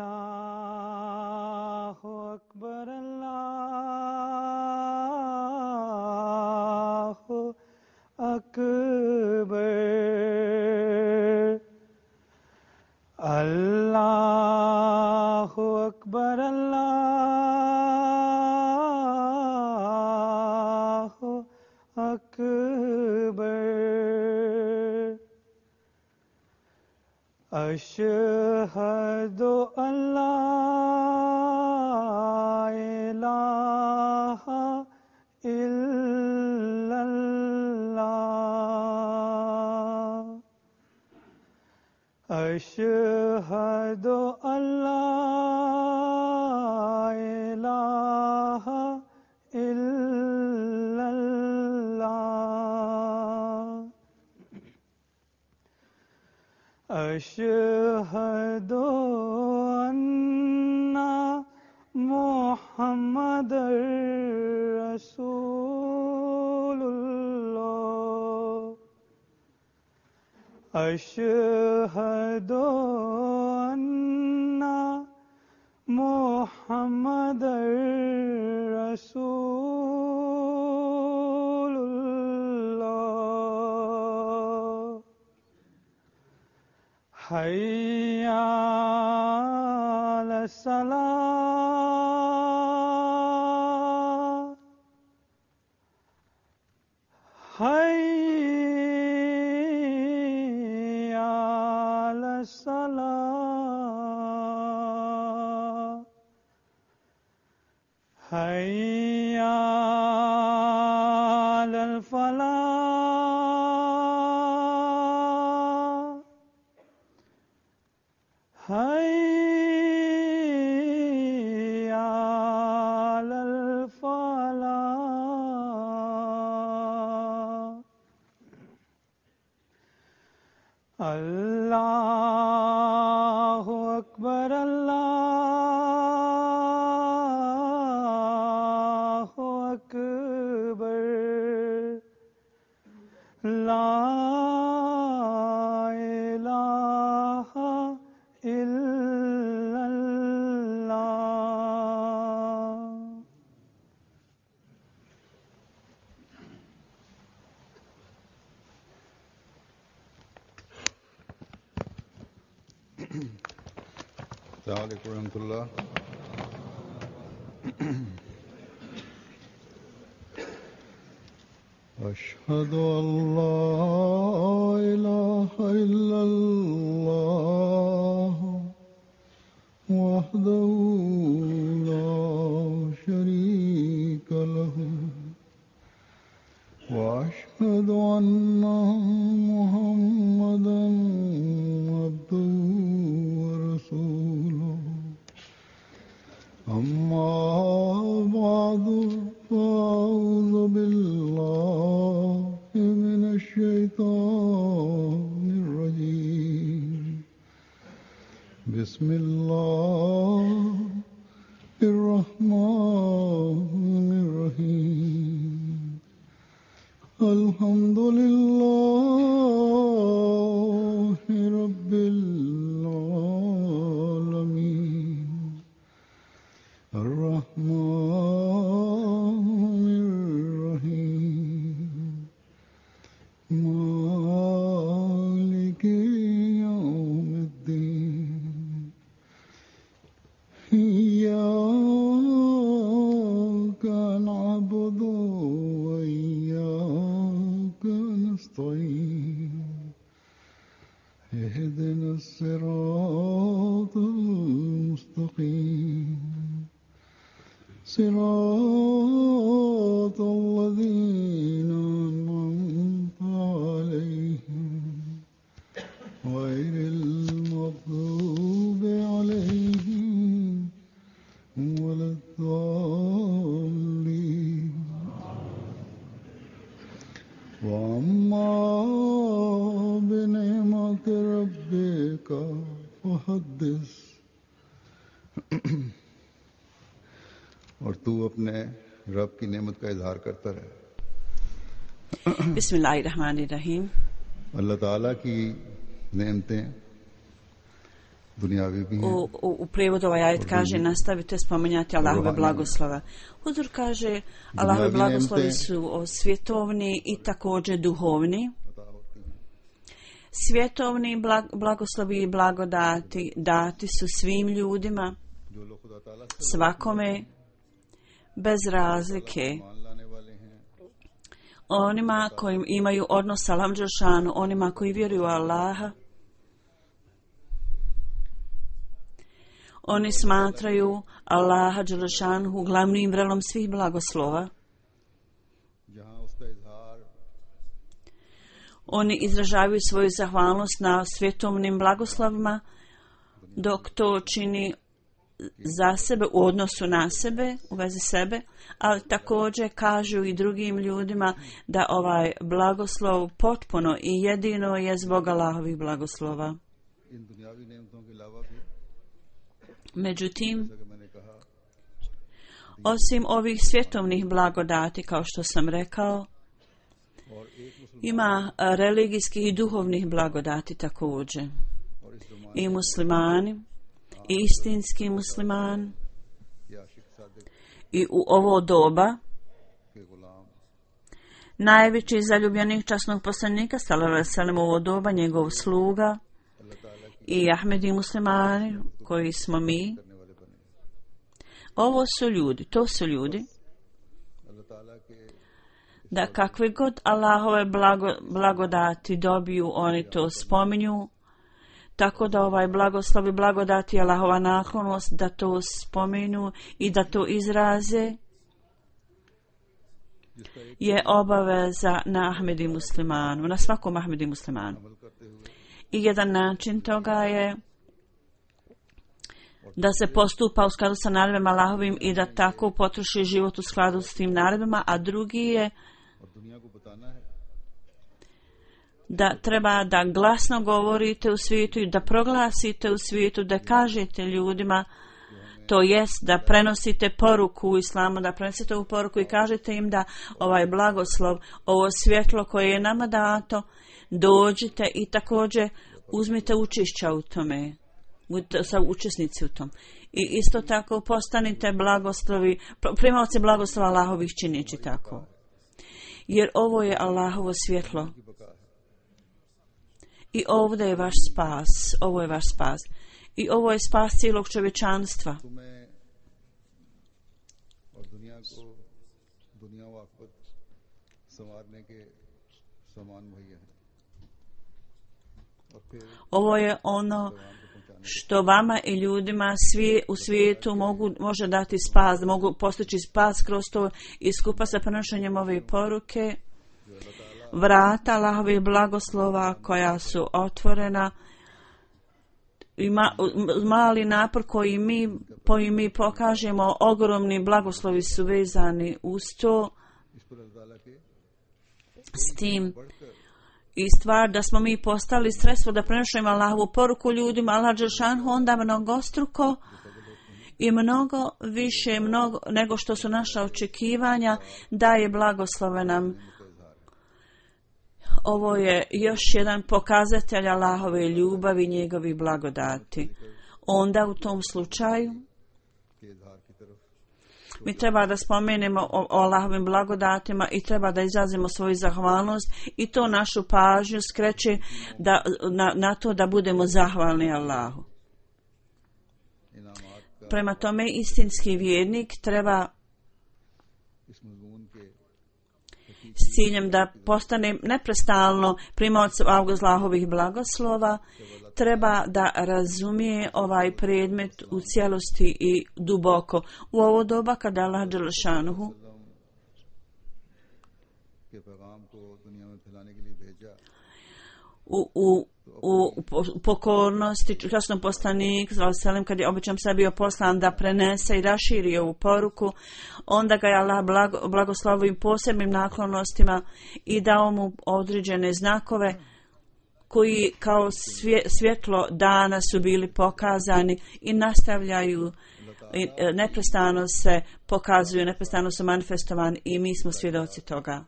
Allahu Akbar, Allahu Akbar, Allahu Akbar, Allahu Akbar. Ashhadu an la ilaha illallah. Ashhadu an la ilaha illallah. Ashhadu anna Muhammadar Rasulullah. Ashhadu anna Muhammadar Rasulullah. Hayya ala salah, hayya ala salah, hayya ala falah, hayya alal falah. Allahu Akbar, Allahu Akbar, La ilaha illallah. Assalamu alaikum warahmatullah. Ashhadu an la ilaha illallah wahdahu la sharika lahu wa ashhadu anna Muhammadan abduhu wa rasuluhu. Amma ba'du fa'udhu billahi minash shaitanir rajim. Bismillahir rahmanir rahim. Alhamdulillahi rabbil alamin. Ar-Rahmanir Rahim. Maliki yawmiddin. Iyyaka na'budu wa iyyaka nasta'in. اهدنا الصراط المستقيم صراط الذين أنعمت عليهم غير المغضوب عليهم ولا الضالين. وأما بنعمة ربك अपने रब की नेमत का इजहार करता रहे। Bismillahirrahmanirrahim. अल्लाह ताला की नेमतें दुनियावी भी हैं U prijevodu ovaj ajet kaže nastavite spominjati Allahove blagoslova. Huzur kaže Allahove blagoslovi su svjetovni i također duhovni. Svjetovni blagoslovi i blagodati dati su svim ljudima, svakome bez razlike. Onima koji imaju odnos sa Allahom dželešanu, onima koji vjeruju u Allaha, oni smatraju Allaha dželešanu glavnim vrelom svih blagoslova. Oni izražavaju svoju zahvalnost na svjetovnim blagoslovima, dok to čini za sebe, u odnosu na sebe, u vezi sebe, ali također kažu i drugim ljudima da ovaj blagoslov potpuno i jedino je zbog Allahovih blagoslova. Međutim, osim ovih svjetovnih blagodati, kao što sam rekao, ima religijskih i duhovnih blagodati također. I muslimani, i istinski musliman, i u ovo doba najveći zaljubljenik časnog poslanika sallallahu alejhi ve sellem, u ovo doba njegov sluga, i Ahmedi muslimani koji smo mi. Ovo su ljudi, to su ljudi da kakve god Allahove blagodati dobiju, oni to spominju, tako da ovaj blagoslov i blagodati, Allahova naklonost, da to spomenu i da to izraze, je obaveza na Ahmedi muslimanu, na svakom Ahmedi muslimanu. I jedan način toga je da se postupa u skladu sa naredbama Allahovim i da tako potroši život u skladu s tim naredbama, a drugi je da treba da glasno govorite u svijetu i da proglasite u svijetu, da kažete ljudima, to jest da prenosite poruku u islamu, da prenosite ovu poruku i kažete im da ovaj blagoslov, ovo svjetlo koje je nama dato, dođite i također uzmite učešća u tome, budite sa učesnici u tom. I isto tako postanite blagoslovi, primaoci blagoslova Allahovih čineći tako. Jer ovo je Allahovo svjetlo. I ovdje je vaš spas, ovo je vaš spas. I ovo je spas cijelog čovječanstva. Ovo je ono što vama i ljudima u svijetu može dati spas, da mogu postići spas kroz to i skupa sa prenošenjem ove poruke. Vrata Allahovih blagoslova koja su otvorena, mali napor koji mi pokažemo, ogromni blagoslovi su vezani uz to, s tim i stvar da smo mi postali sredstvo da prenošemo Allahovu poruku ljudima, Allah dželešanu onda mnogostruko i mnogo više nego što su naša očekivanja daje blagoslove nam. Ovo je još jedan pokazatelj Allahove ljubavi i njegovih blagodati. Onda u tom slučaju mi treba da spomenemo o Allahovim blagodatima i treba da izrazimo svoju zahvalnost i to našu pažnju skreće na to da budemo zahvalni Allahu. Prema tome istinski vjernik treba s ciljem da postane neprestalno primaoc Allahovih blagoslova, treba da razumije ovaj predmet u cijelosti i duboko. U ovo doba kada Allah dželešanuhu u pokornosti časnom poslanik kad je običan sad bio poslan da prenese i raširi ovu poruku, onda ga je Allah blagoslovio posebnim naklonostima i dao mu određene znakove koji kao svjetlo dana su bili pokazani i nastavljaju i neprestano se pokazuju, neprestano su manifestovani i mi smo svjedoci toga.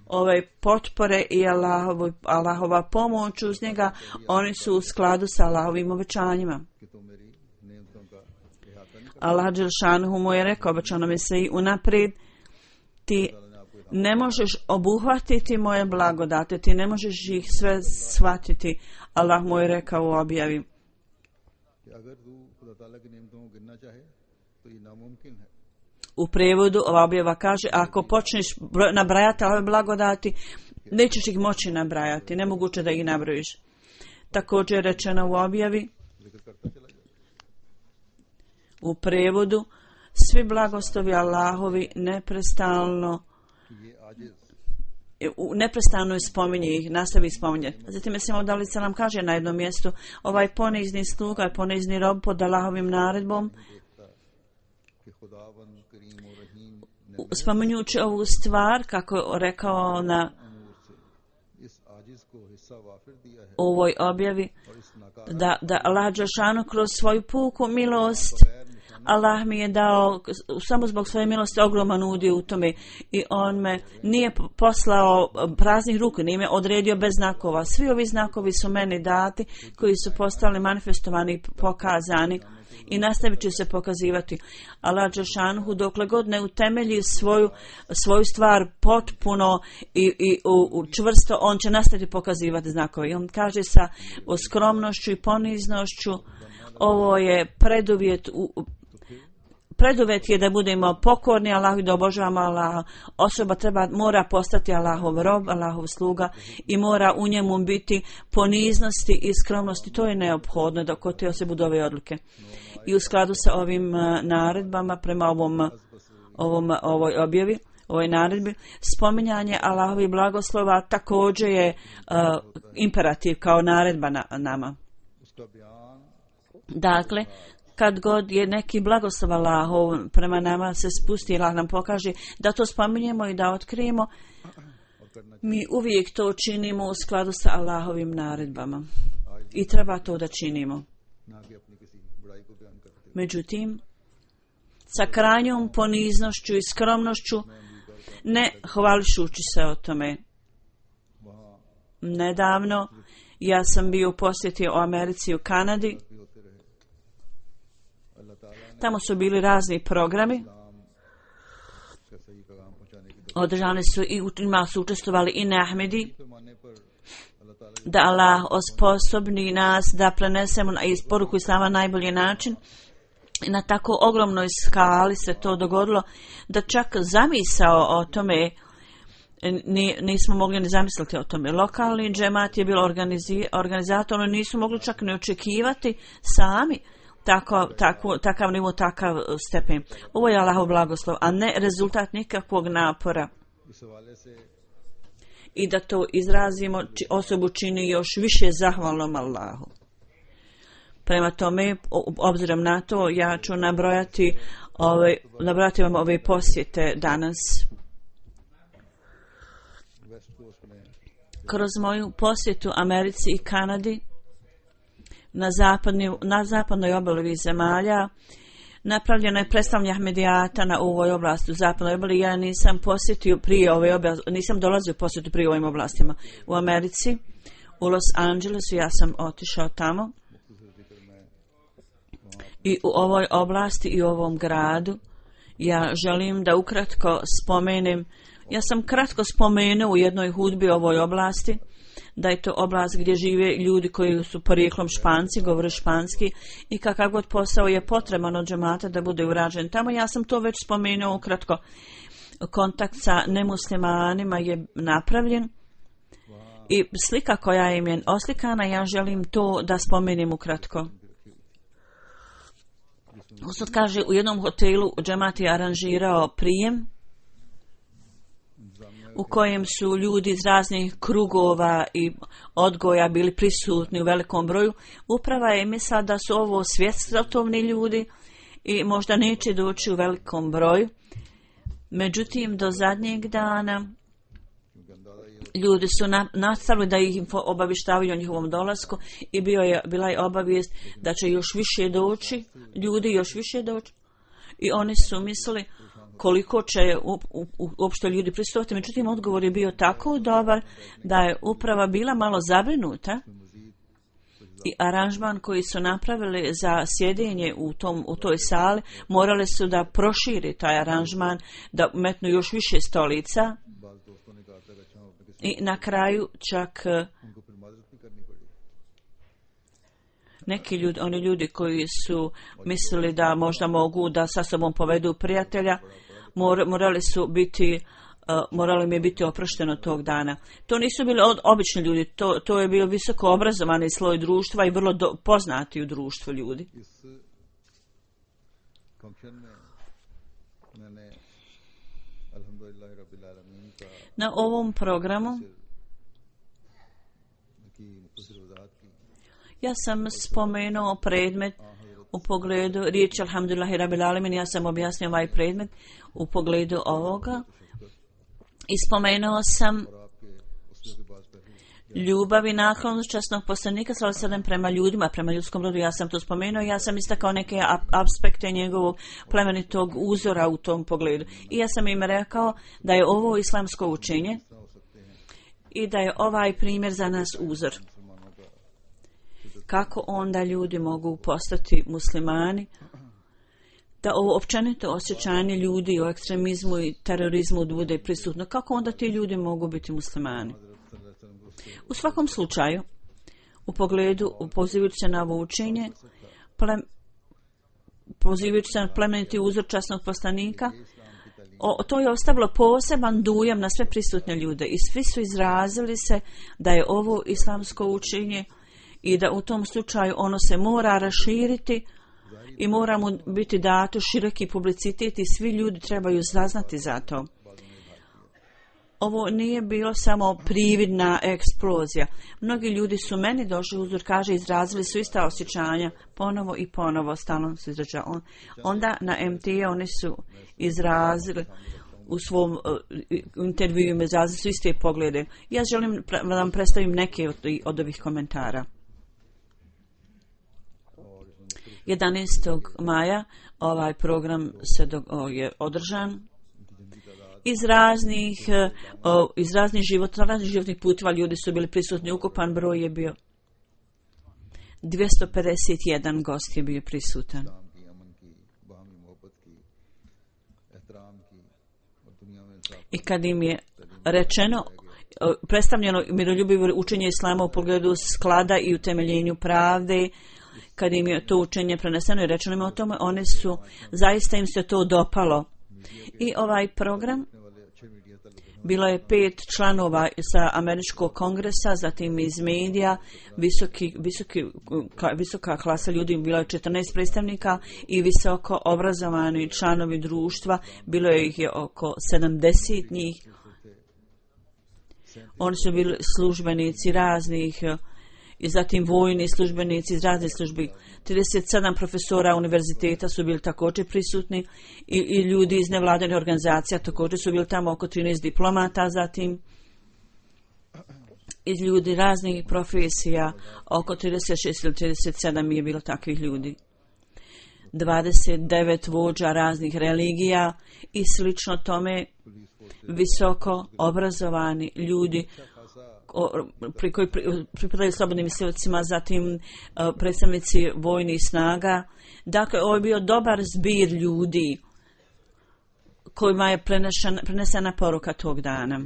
Ove potpore i Allahova pomoć uz njega, oni su u skladu sa Allahovim obećanjima. Allah dželšanuhu mu je rekao, obećano mi se i unaprijed, ti ne možeš obuhvatiti moje blagodate, ti ne možeš ih sve shvatiti. Allah mu je rekao u objavi. U prijevodu ova objava kaže, ako počneš nabrajati ove blagodati, nećeš ih moći nabrajati, nemoguće da ih nabrojiš. Također je rečeno u objavi, u prijevodu, svi blagoslovi Allahovi neprestano spominje ih, nastavi spominje. Zatim Mesih da li se nam kaže na jednom mjestu, ovaj ponizni sluga i ponizni rob pod Allahovim naredbom, spominjući ovu stvar, kako je rekao na ovoj objavi, da Allah dželešanu kroz svoju puku milost, Allah mi je dao samo zbog svoje milosti ogroman udio u tome i on me nije poslao praznih ruku, nije me odredio bez znakova. Svi ovi znakovi su meni dati koji su postali manifestovani i pokazani i nastavit će se pokazivati. Allah dželešanu dokle god ne utemelji svoju stvar potpuno i čvrsto, on će nastaviti pokazivati znakove. I on kaže sa skromnošću i poniznošću, ovo je preduvjet je da budemo pokorni Allahu i da obožavamo Allaha. Osoba mora postati Allahov rob, Allahov sluga i mora u njemu biti poniznosti i skromnosti. To je neophodno da kod te se budu ove odluke. I u skladu sa ovim naredbama prema ovoj objavi, ovoj naredbi, spominjanje Allahovi blagoslova također je imperativ kao naredba nama. Dakle, kad god je neki blagoslov Allahov prema nama se spusti, Allah nam pokaže da to spominjemo i da otkrijemo, mi uvijek to činimo u skladu sa Allahovim naredbama. I treba to da činimo. Međutim, sa krajnjom poniznošću i skromnošću, ne hvališući se o tome. Nedavno ja sam bio u posjeti u Americi i u Kanadi. Tamo su bili razni programi. Održani su i u njima su učestvovali i Ahmedi. Da Allah osposobni nas da prenesemo iz poruku Islama na najbolji način. I na tako ogromnoj skali se to dogodilo da čak zamisao o tome nismo mogli ni zamisliti o tome. Lokalni džemat je bilo organizator, oni nisu mogli čak ni očekivati sami takav nivo, takav stepen. Ovo je Allahov blagoslov, a ne rezultat nikakvog napora. I da to izrazimo, osobu čini još više zahvalnom Allahu. Prema tome, obzirom na to, ja ću nabrojati vam ove posjete danas. Kroz moju posjetu Americi i Kanadi, na zapadnoj obali zemalja, napravljeno je predstavljanje Ahmedijata na ovoj oblasti u zapadnoj obali. Ja nisam posjetio prije ove oblasti, nisam dolazio posjetu prije ovim oblastima. U Americi, u Los Angelesu, ja sam otišao tamo. I u ovoj oblasti i u ovom gradu ja želim da ukratko spomenem, ja sam kratko spomenuo u jednoj hudbi u ovoj oblasti, da je to oblast gdje žive ljudi koji su porijeklom Španci, govore španski i kakav god posao je potreban od džemata da bude urađen tamo. Ja sam to već spomenuo ukratko. Kontakt sa nemuslimanima je napravljen i slika koja im je oslikana, ja želim to da spomenem ukratko. Ustad kaže, u jednom hotelu džemat je aranžirao prijem u kojem su ljudi iz raznih krugova i odgoja bili prisutni u velikom broju. Uprava je mislila da su ovo svjetovni ljudi i možda neće doći u velikom broju. Međutim, do zadnjeg dana ljudi su nastavili da ih obavještavaju o njihovom dolasku i bila je obavijest da će još više doći, ljudi još više doći. I oni su mislili koliko će uopšte ljudi prisutiti. Međutim, odgovor je bio tako dobar da je uprava bila malo zabrinuta i aranžman koji su napravili za sjedenje u toj sali, morali su da proširi taj aranžman, da metnu još više stolica i na kraju čak neki ljudi, oni ljudi koji su mislili da možda mogu da sa sobom povedu prijatelja, morali mi je biti oprošteno tog dana. To nisu bili obični ljudi, to je bio visoko obrazovani sloj društva i vrlo poznati u društvu ljudi. Na ovom programu ja sam spomenuo predmet u pogledu riječi Alhamdulillahi Rabbil Alamin, ja sam objasnio ovaj predmet u pogledu ovoga i spomenuo sam ljubav i naklonost časnog poslanika sallallahu alejhi ve sellem prema ljudima, prema ljudskom rodu. Ja sam to spomenuo, ja sam istakao neke aspekte njegovog plemenitog uzora u tom pogledu. I ja sam im rekao da je ovo islamsko učenje i da je ovaj primjer za nas uzor. Kako onda ljudi mogu postati muslimani? Da ovo općenito osjećanje ljudi o ekstremizmu i terorizmu bude prisutno. Kako onda ti ljudi mogu biti muslimani? U svakom slučaju, u pogledu pozivajući se na ovo učenje, pozivajući se na plemeniti uzor časnog poslanika, to je ostavilo poseban dujam na sve prisutne ljude i svi su izrazili se da je ovo islamsko učenje i da u tom slučaju ono se mora raširiti i mora mu biti dato široki publicitet i svi ljudi trebaju saznati za to. Ovo nije bilo samo prividna eksplozija. Mnogi ljudi su meni došli, uzor kaže, izrazili su ista osjećanja ponovo i ponovo, stalno se izražava. Onda na MT oni su izrazili u svom intervju, izrazili su iste poglede. Ja želim da vam predstavim neke od ovih komentara. 11. maja ovaj program je održan. Iz raznih životnih puteva ljudi su bili prisutni. Ukupan broj je bio 251 gost je bio prisutan. I kad im je rečeno, predstavljeno miroljubivo učenje islama u pogledu sklada i utemeljenju pravde, kad im je to učenje preneseno i rečeno im o tome, oni su, zaista im se to dopalo. I ovaj program, bilo je 5 članova sa američkog kongresa, zatim iz medija, visoka klasa ljudi, bilo je 14 predstavnika i visoko obrazovani članovi društva, bilo je ih oko 70 njih. Oni su bili službenici raznih, i zatim vojni službenici iz raznih službi. 37 profesora univerziteta su bili također prisutni i ljudi iz nevladinih organizacija također su bili tamo, oko 13 diplomata, zatim iz ljudi raznih profesija, oko 36 ili 37 je bilo takvih ljudi. 29 vođa raznih religija i slično tome, visoko obrazovani ljudi koji pripadaju slobodnim mislioцima, zatim predstavnici vojnih snaga. Dakle, ovo je bio dobar zbir ljudi kojima je prenesena poruka tog dana.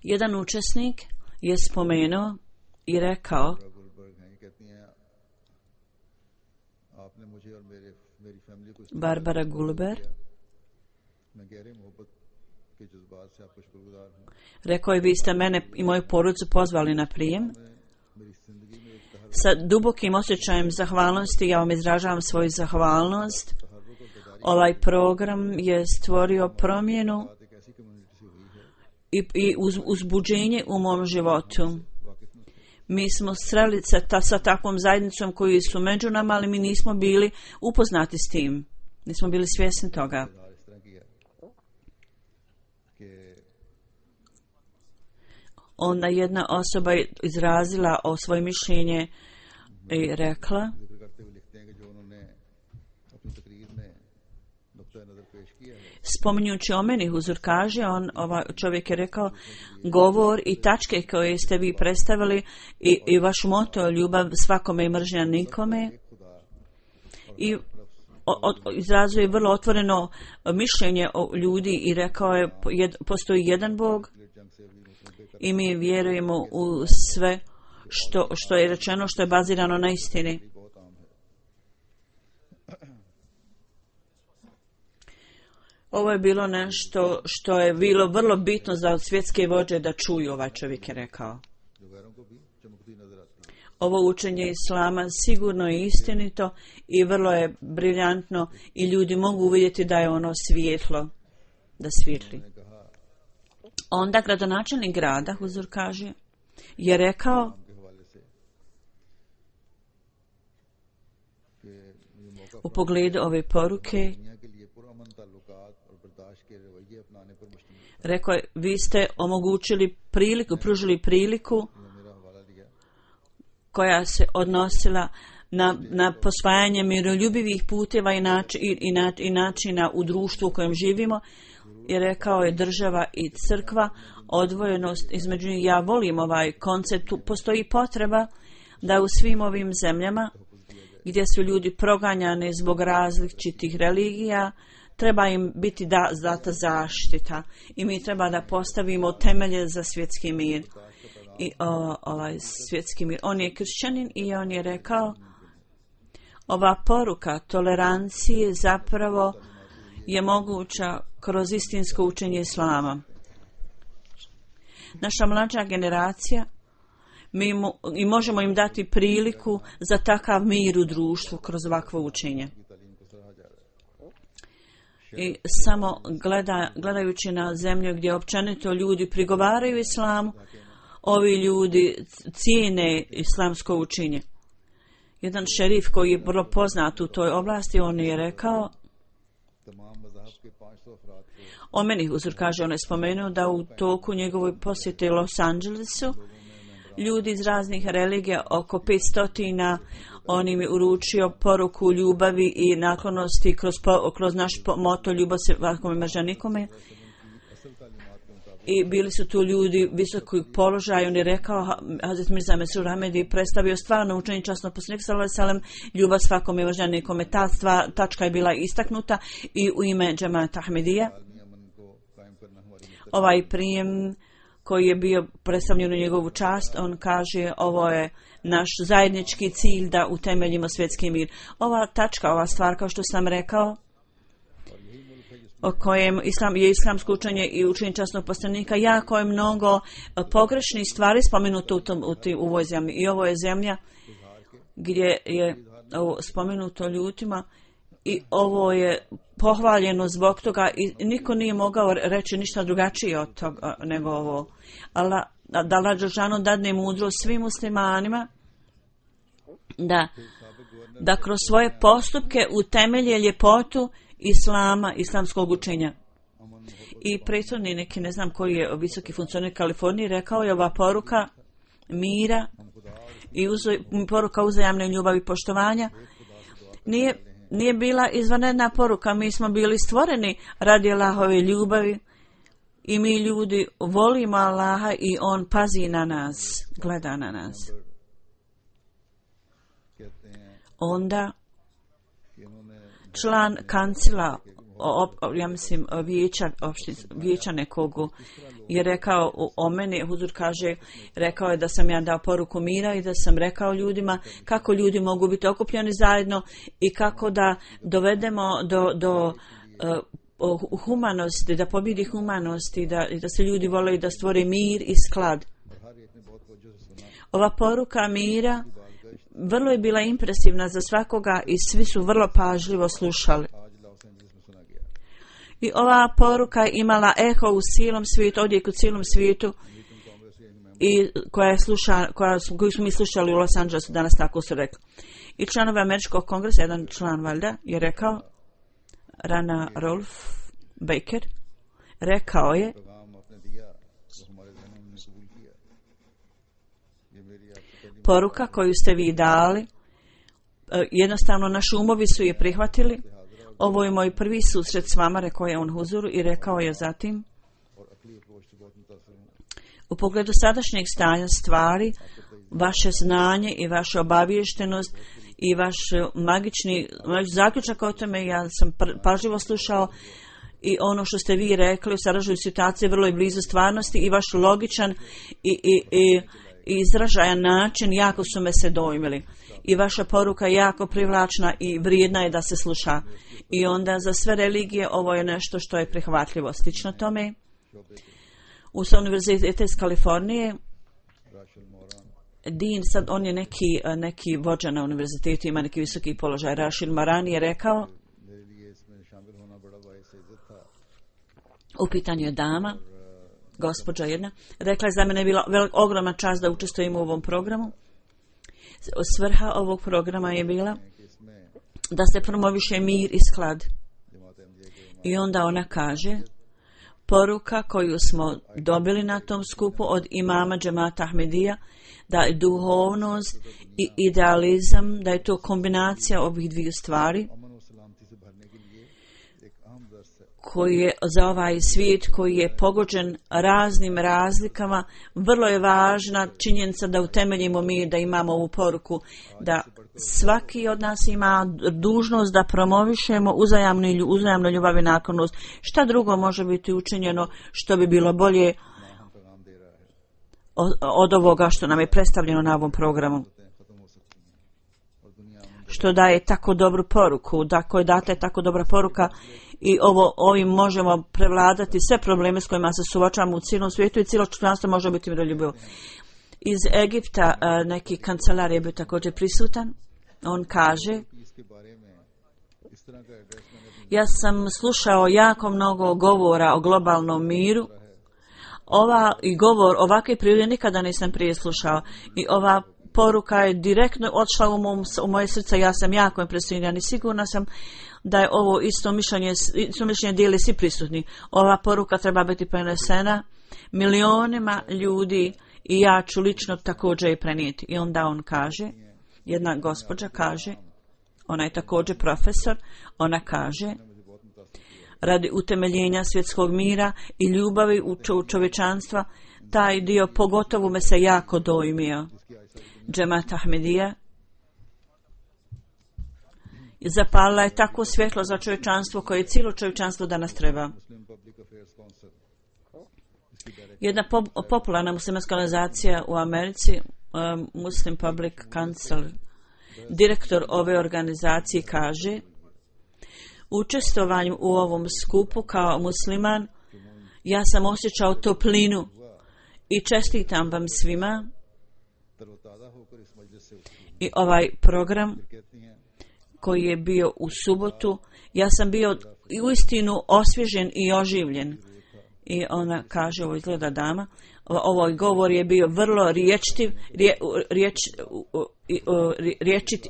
Jedan učesnik je spomenuo i rekao: Barbara Gulber rekao je: vi ste mene i moju porodicu pozvali na prijem. Sa dubokim osjećajem zahvalnosti ja vam izražavam svoju zahvalnost. Ovaj program je stvorio promjenu i uzbuđenje u mom životu. Mi smo sreli sa takvom zajednicom koji su među nama, ali mi nismo bili upoznati s tim. Nismo bili svjesni toga. Onda jedna osoba je izrazila o svoje mišljenje i rekla, जिक्र करते हुए लिखते हैं कि जो उन्होंने अपनी तकरीर में नुक्ता नजर पेश किया है spominjući o meni, huzur kaže, čovjek je rekao, govor i tačke koje ste vi predstavili i vaš moto, ljubav svakome i mržnja nikome, i izrazuje vrlo otvoreno mišljenje o ljudi i rekao je, postoji jedan Bog i mi vjerujemo u sve što je rečeno, što je bazirano na istini. Ovo je bilo nešto što je bilo vrlo bitno za svjetske vođe da čuju, ovaj čovjek je rekao. Ovo učenje Islama sigurno je istinito i vrlo je briljantno i ljudi mogu uvidjeti da je ono svjetlo, da svijetli. Onda gradonačelnik grada, huzur kaže, je rekao u pogledu ove poruke, rekao je, vi ste omogućili priliku, pružili priliku koja se odnosila na posvajanje miroljubivih puteva i načina u društvu u kojem živimo, i rekao je država i crkva, odvojenost između njih. Ja volim ovaj koncept, postoji potreba da u svim ovim zemljama gdje su ljudi proganjani zbog različitih religija, treba im biti data zaštita i mi treba da postavimo temelje za svjetski mir. I ovaj svjetski mir. On je kršćanin i on je rekao, ova poruka tolerancije zapravo je moguća kroz istinsko učenje Islama. Naša mlađa generacija, mi možemo im dati priliku za takav mir u društvu kroz ovakvo učenje. I samo gledajući na zemlju gdje općenito ljudi prigovaraju Islamu, ovi ljudi cijene islamsko učenje. Jedan šerif koji je vrlo poznat u toj oblasti, on je rekao, o meni, huzur kaže, on je spomenuo da u toku njegovoj posjete Los Angelesu ljudi iz raznih religija, oko 500, on im je uručio poruku ljubavi i naklonosti kroz naš moto ljubav se svakome mržnja nikome. I bili su tu ljudi visokog položaja. On je rekao, Hazret Mirza Mesrur Ahmed je predstavio stvarno učenje časnog poslanika sallallahu alejhi ve sellem, ljubav svakome mržnja nikome. Ta tačka je bila istaknuta i u ime Džemata Ahmedija. Ovaj prijem koji je bio predstavljen u njegovu čast, on kaže, ovo je naš zajednički cilj da utemeljimo svjetski mir. Ova tačka, ova stvar, kao što sam rekao, o kojem je islamsko učenje i učenje časnog poslanika, jako je mnogo pogrešnih stvari spomenuto u ovoj zemlji. I ovo je zemlja gdje je ovo spomenuto ljudima i ovo je pohvaljeno zbog toga i niko nije mogao reći ništa drugačije od toga nego ovo. Da Allah dželešanu dadne mudrost svim muslimanima da kroz svoje postupke utemelje ljepotu Islama, islamskog učenja. I prethodni neki, ne znam koji je visoki funkcioner Kaliforniji, rekao je ova poruka mira i poruka uzajamne ljubavi i poštovanja nije bila izvanredna poruka. Mi smo bili stvoreni radi Allahove ljubavi i mi ljudi volimo Allaha i on pazi na nas, gleda na nas. Onda član kancila, ja mislim vijeća nekog, je rekao o meni, huzur kaže, rekao je da sam ja dao poruku mira i da sam rekao ljudima kako ljudi mogu biti okupljeni zajedno i kako da dovedemo do humanosti, da pobjedi humanosti i da se ljudi vole i da stvore mir i sklad. Ova poruka mira vrlo je bila impresivna za svakoga i svi su vrlo pažljivo slušali. I ova poruka imala eho u cijelom svijetu, odjek u cijelom svijetu i koju smo mi slušali u Los Angelesu danas, tako su rekli. I članovi Američkog kongresa, jedan član valjda, je rekao, Rana Rolf Baker, rekao je, पैगाम आपने दिया वो हमारे जहनों में कबूल किया। ये मेरी आपसे पहली poruka koju ste vi dali, jednostavno naši umovi su je prihvatili. Ovo je moj prvi susret s vama, rekao je on huzuru i rekao je zatim, और अकली अप्रोच से बहुत मुतासिर हूँ। u pogledu sadašnjeg stanja stvari, vaše znanje i vaša obaviještenost i vaš vaš zaključak o tome, ja sam pažljivo slušao i ono što ste vi rekli u sadašnjoj situaciji vrlo je blizu stvarnosti i vaš logičan i izražajan način jako su me se dojmili. I vaša poruka je jako privlačna i vrijedna je da se sluša. I onda za sve religije ovo je nešto što je prihvatljivo. Slično tome, u univerzitetu iz Kalifornije, Din, sad on je neki vođa na univerzitetu, ima neki visoki položaj. Rashid Marani je rekao, u pitanju je dama, gospođa jedna, rekla je za mene je bila ogromna čast da učestvujem u ovom programu. Svrha ovog programa je bila da se promoviše mir i sklad. I onda ona kaže, poruka koju smo dobili na tom skupu od imama Džemata Ahmedija, da je duhovnost i idealizam, da je to kombinacija ovih dviju stvari koji je za ovaj svijet koji je pogođen raznim razlikama, vrlo je važna činjenica da utemeljimo mi, da imamo ovu poruku, da svaki od nas ima dužnost da promovišemo uzajamnu ljubav i naklonost. Šta drugo može biti učinjeno što bi bilo bolje od ovoga što nam je predstavljeno na ovom programu? Što daje tako dobru poruku, da koja data je tako dobra poruka i ovim možemo prevladati sve probleme s kojima se suočavamo u cijelom svijetu i cijelo čovječanstvo može biti miroljubivo. Iz Egipta neki kancelar je bio također prisutan. On kaže, ja sam slušao jako mnogo govora o globalnom miru. Ovakve prirode nikada nisam prije slušao i ova poruka je direktno odšla u moje srce. Ja sam jako impresioniran i sigurna sam da je ovo isto mišljenje dijeli svi prisutni. Ova poruka treba biti prenesena milionima ljudi i ja ću lično također je prenijeti. I onda on kaže, jedna gospođa kaže, ona je također profesor, ona kaže, radi utemeljenja svjetskog mira i ljubavi u čovječanstva, taj dio pogotovo me se jako dojmio. Džemat Ahmedija zapalila je tako svjetlo za čovječanstvo koje cijelo čovječanstvo danas treba. Jedna popularna muslimanska organizacija u Americi, Muslim Public Council, direktor ove organizacije kaže, učestvovanjem u ovom skupu kao musliman, ja sam osjećao toplinu i čestitam vam svima. I ovaj program koji je bio u subotu, ja sam bio uistinu osvježen i oživljen. I ona kaže, ovo izgleda dama, ovaj govor je bio vrlo riječit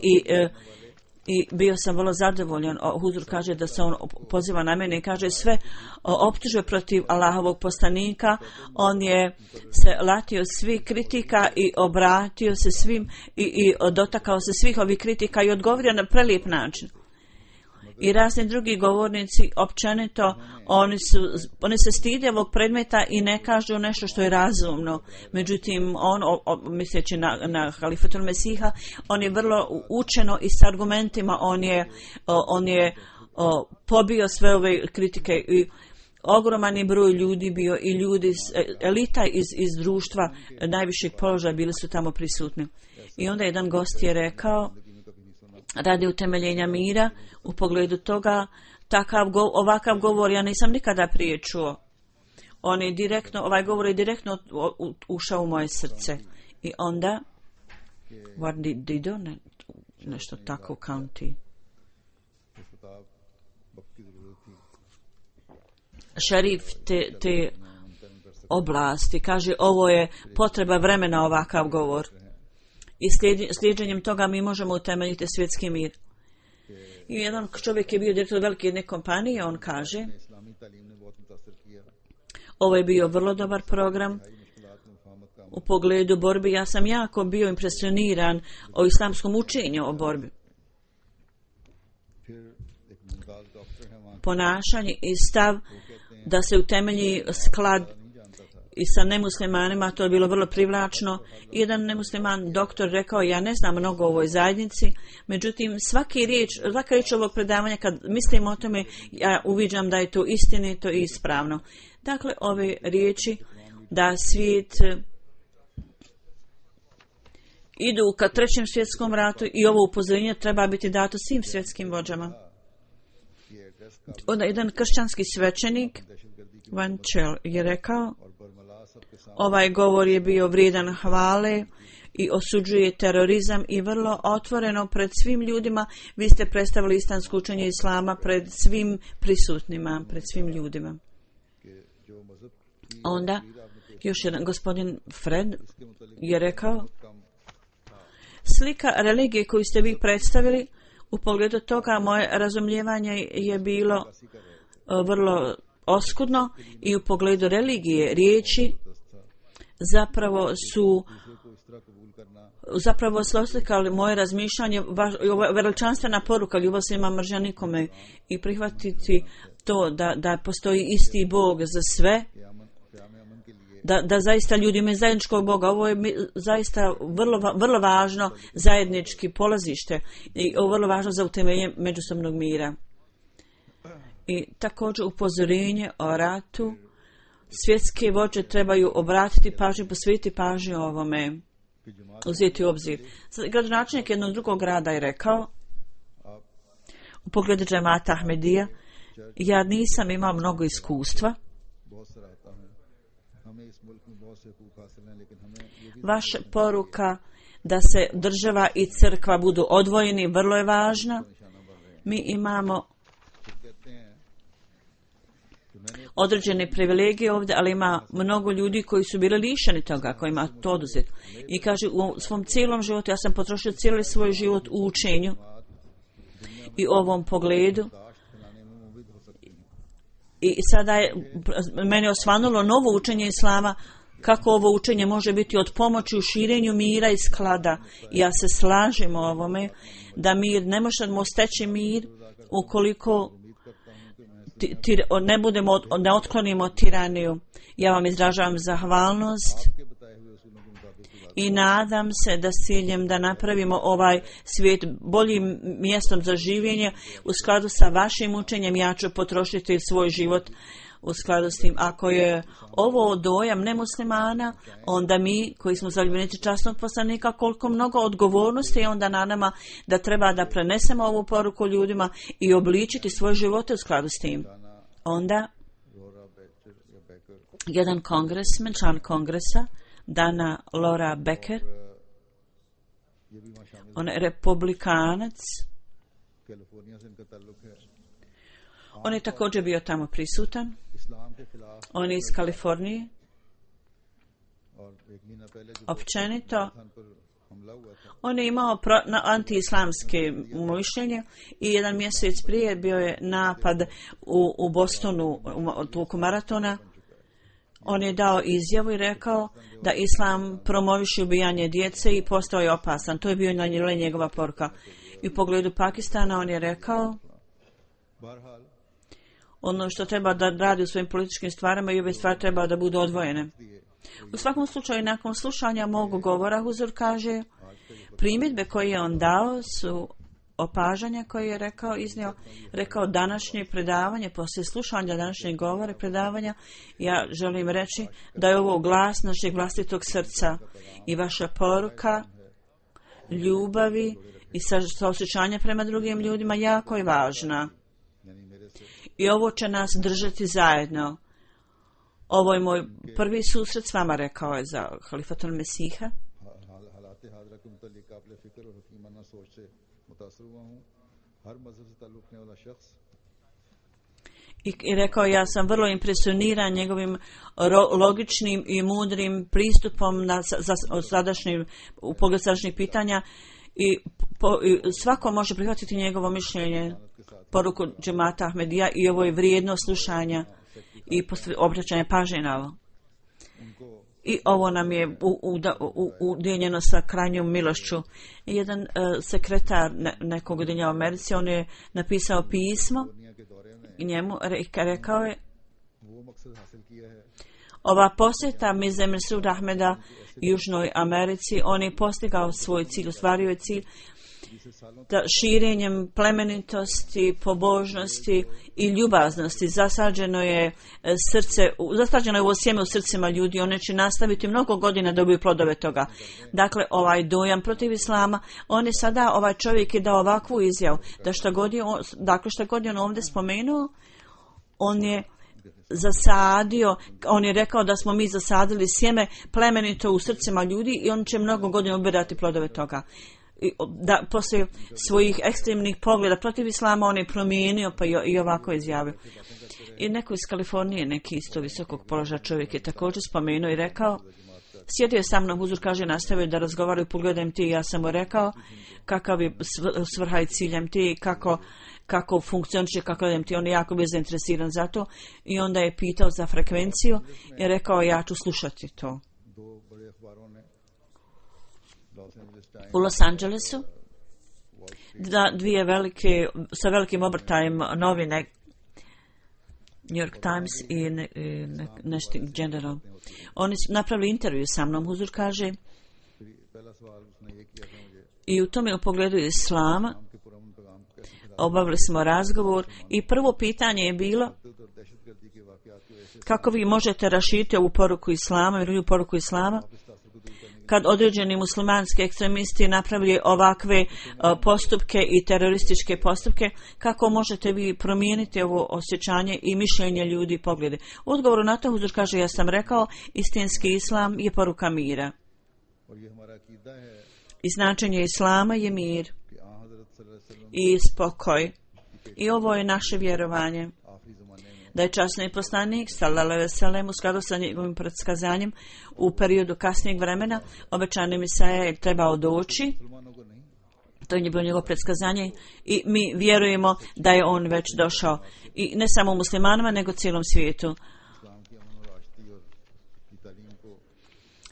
i bio sam vrlo zadovoljan. Huzur kaže da se on poziva na mene i kaže sve optužbe protiv Allahovog poslanika. On je se latio svih kritika i obratio se svim i dotakao se svih ovih kritika i odgovorio na prelijep način. I razni drugi govornici općenito oni se stide ovog predmeta i ne kažu nešto što je razumno. Međutim, on misleći na halifatul Mesiha, on je vrlo učeno i s argumentima on je pobio sve ove kritike i ogroman je broj ljudi bio i ljudi elita iz društva najvišeg položaja bili su tamo prisutni. I onda jedan gost je rekao, radi utemeljenja mira, u pogledu toga, ovakav govor ja nisam nikada prije čuo. Ovaj govor je direktno ušao u moje srce. I onda, nešto tako u county. Šerif te oblasti kaže, ovo je potreba vremena ovakav govor. I slijedženjem toga mi možemo utemeljiti svjetski mir. I jedan čovjek je bio direktor velike jedne kompanije, on kaže, Ovo je bio vrlo dobar program u pogledu borbi. Ja sam jako bio impresioniran o islamskom učenju o borbi. Ponašanje i stav da se utemelji sklad i sa nemuslimanima, to je bilo vrlo privlačno. Jedan nemusliman doktor rekao, ja ne znam mnogo o ovoj zajednici, međutim svaka riječ ovog predavanja, kad mislim o tome, ja uviđam da je to istinito i ispravno. Dakle, ove riječi da svijet idu ka trećem svjetskom ratu i ovo upozorenje treba biti dato svim svjetskim vođama. Onda jedan kršćanski svećenik Van Chel je rekao, ovaj govor je bio vrijedan hvale i osuđuje terorizam i vrlo otvoreno pred svim ljudima. Vi ste predstavili islamsko učenje islama pred svim prisutnima, pred svim ljudima. Onda još jedan gospodin Fred je rekao, slika religije koju ste vi predstavili, u pogledu toga moje razumijevanje je bilo vrlo oskudno i u pogledu religije riječi zapravo su oslikali moje razmišljanje, veličanstvena poruka, ljubav se ima mržnja nikome i prihvatiti to da postoji isti Bog za sve, da zaista ljudi imaju zajedničkog Boga. Ovo je zaista vrlo važno zajednički polazište i ovo vrlo važno za utemeljenje međusobnog mira. I također upozorenje o ratu. Svjetske vođe trebaju obratiti pažnju, posvetiti pažnju ovome, uzeti u obzir. Gradonačelnik jednog drugog grada je rekao, u pogledu džemata Ahmedija, ja nisam imao mnogo iskustva. Vaša poruka da se država i crkva budu odvojeni vrlo je važna. Mi imamo određene privilegije ovdje, ali ima mnogo ljudi koji su bili lišeni toga, kojima to oduzeti. I kaže, u svom cijelom životu, ja sam potrošio cijeli svoj život u učenju i ovom pogledu. I sada je meni osvanulo novo učenje islama, kako ovo učenje može biti od pomoći u širenju mira i sklada. Ja se slažem o ovome, da mir, ne možemo steći mir ukoliko ne otklonimo tiraniju. Ja vam izražavam zahvalnost i nadam se da s ciljem da napravimo ovaj svijet boljim mjestom za življenje u skladu sa vašim učenjem. Ja ću potrošiti svoj život u skladu s tim. Ako je ovo dojam nemuslimana, onda mi koji smo zaljubljenici časnog poslanika, koliko mnogo odgovornosti je onda na nama da treba da prenesemo ovu poruku ljudima i obličiti svoje živote u skladu s tim. Onda jedan kongresmen, član kongresa, Dana Laura Becker, on je republikanac, on je također bio tamo prisutan. On je iz Kalifornije. Općenito, on je imao anti-islamske mišljenje i jedan mjesec prije bio je napad u Bostonu, toku maratona. On je dao izjavu i rekao da islam promoviše ubijanje djece i postao je opasan. To je bio njegova poruka. I u pogledu Pakistana on je rekao, ono što treba da radi u svojim političkim stvarima i ove stvari treba da budu odvojene. U svakom slučaju, nakon slušanja mog govora, Huzur kaže, primjedbe koje je on dao su opažanja koje je rekao današnje predavanje, poslije slušanja današnjeg govora predavanja, ja želim reći da je ovo glas našeg vlastitog srca i vaša poruka ljubavi i saosjećanja prema drugim ljudima jako je važna. I ovo će nas držati zajedno. Ovo je moj prvi susret s vama, rekao je za Halifatul Mesiha. I rekao, ja sam vrlo impresioniran njegovim logičnim i mudrim pristupom u pogledu sadašnjih pitanja i svako može prihvatiti njegovo mišljenje, poruku džemata Ahmedija i ovo je vrijedno slušanja i obraćanje pažnje na ovo. I ovo nam je udijeljeno sa krajnjom milošću. Jedan sekretar nekog udjenja u Americi, on je napisao pismo i njemu rekao je: ova posjeta Mirze Masroor Ahmeda Južnoj Americi, on je postigao svoj cilj, ostvario je cilj da širenjem plemenitosti, pobožnosti i ljubaznosti zasađeno je ovo sjeme u srcima ljudi. One će nastaviti mnogo godina da dobiju plodove toga. Dakle, ovaj dojam protiv islama, on je sada, ovaj čovjek je dao ovakvu izjavu da šta god je on ovdje spomenuo, on je zasadio, on je rekao da smo mi zasadili sjeme plemenito u srcima ljudi i on će mnogo godina ubirati plodove toga. Da poslije svojih ekstremnih pogleda protiv islama on je promijenio pa i ovako izjavio. I neko iz Kalifornije, neki isto visokog položaja čovjek je također spomenuo i rekao, sjedio je sa mnom, huzur kaže, nastavio da razgovaraju, pogledam ti, ja sam mu rekao kakav je svrha i ciljem ti, kako funkcioniše, kako idem ti, on je jako bio zainteresiran za to i onda je pitao za frekvenciju i rekao ja ću slušati to. U Los Angelesu dvije velike, sa velikim obrtajem novine, New York Times i nešto General. Oni su napravili intervju sa mnom, huzur kaže, i u tome u pogledu islama obavili smo razgovor i prvo pitanje je bilo kako vi možete raširiti ovu poruku islama i drugu poruku islama kad određeni muslimanski ekstremisti napravili ovakve postupke i terorističke postupke, kako možete vi promijeniti ovo osjećanje i mišljenje ljudi i poglede? U odgovoru na to huzur kaže, ja sam rekao, istinski islam je poruka mira. I značenje islama je mir i spokoj. I ovo je naše vjerovanje. Da je časni poslanik sallallahu alejhi ve sellem u skladu sa njegovim predskazanjem u periodu kasnijeg vremena obećani Mesaja je trebao doći. To je bilo njegovo predskazanje i mi vjerujemo da je on već došao. I ne samo muslimanima, nego cijelom svijetu.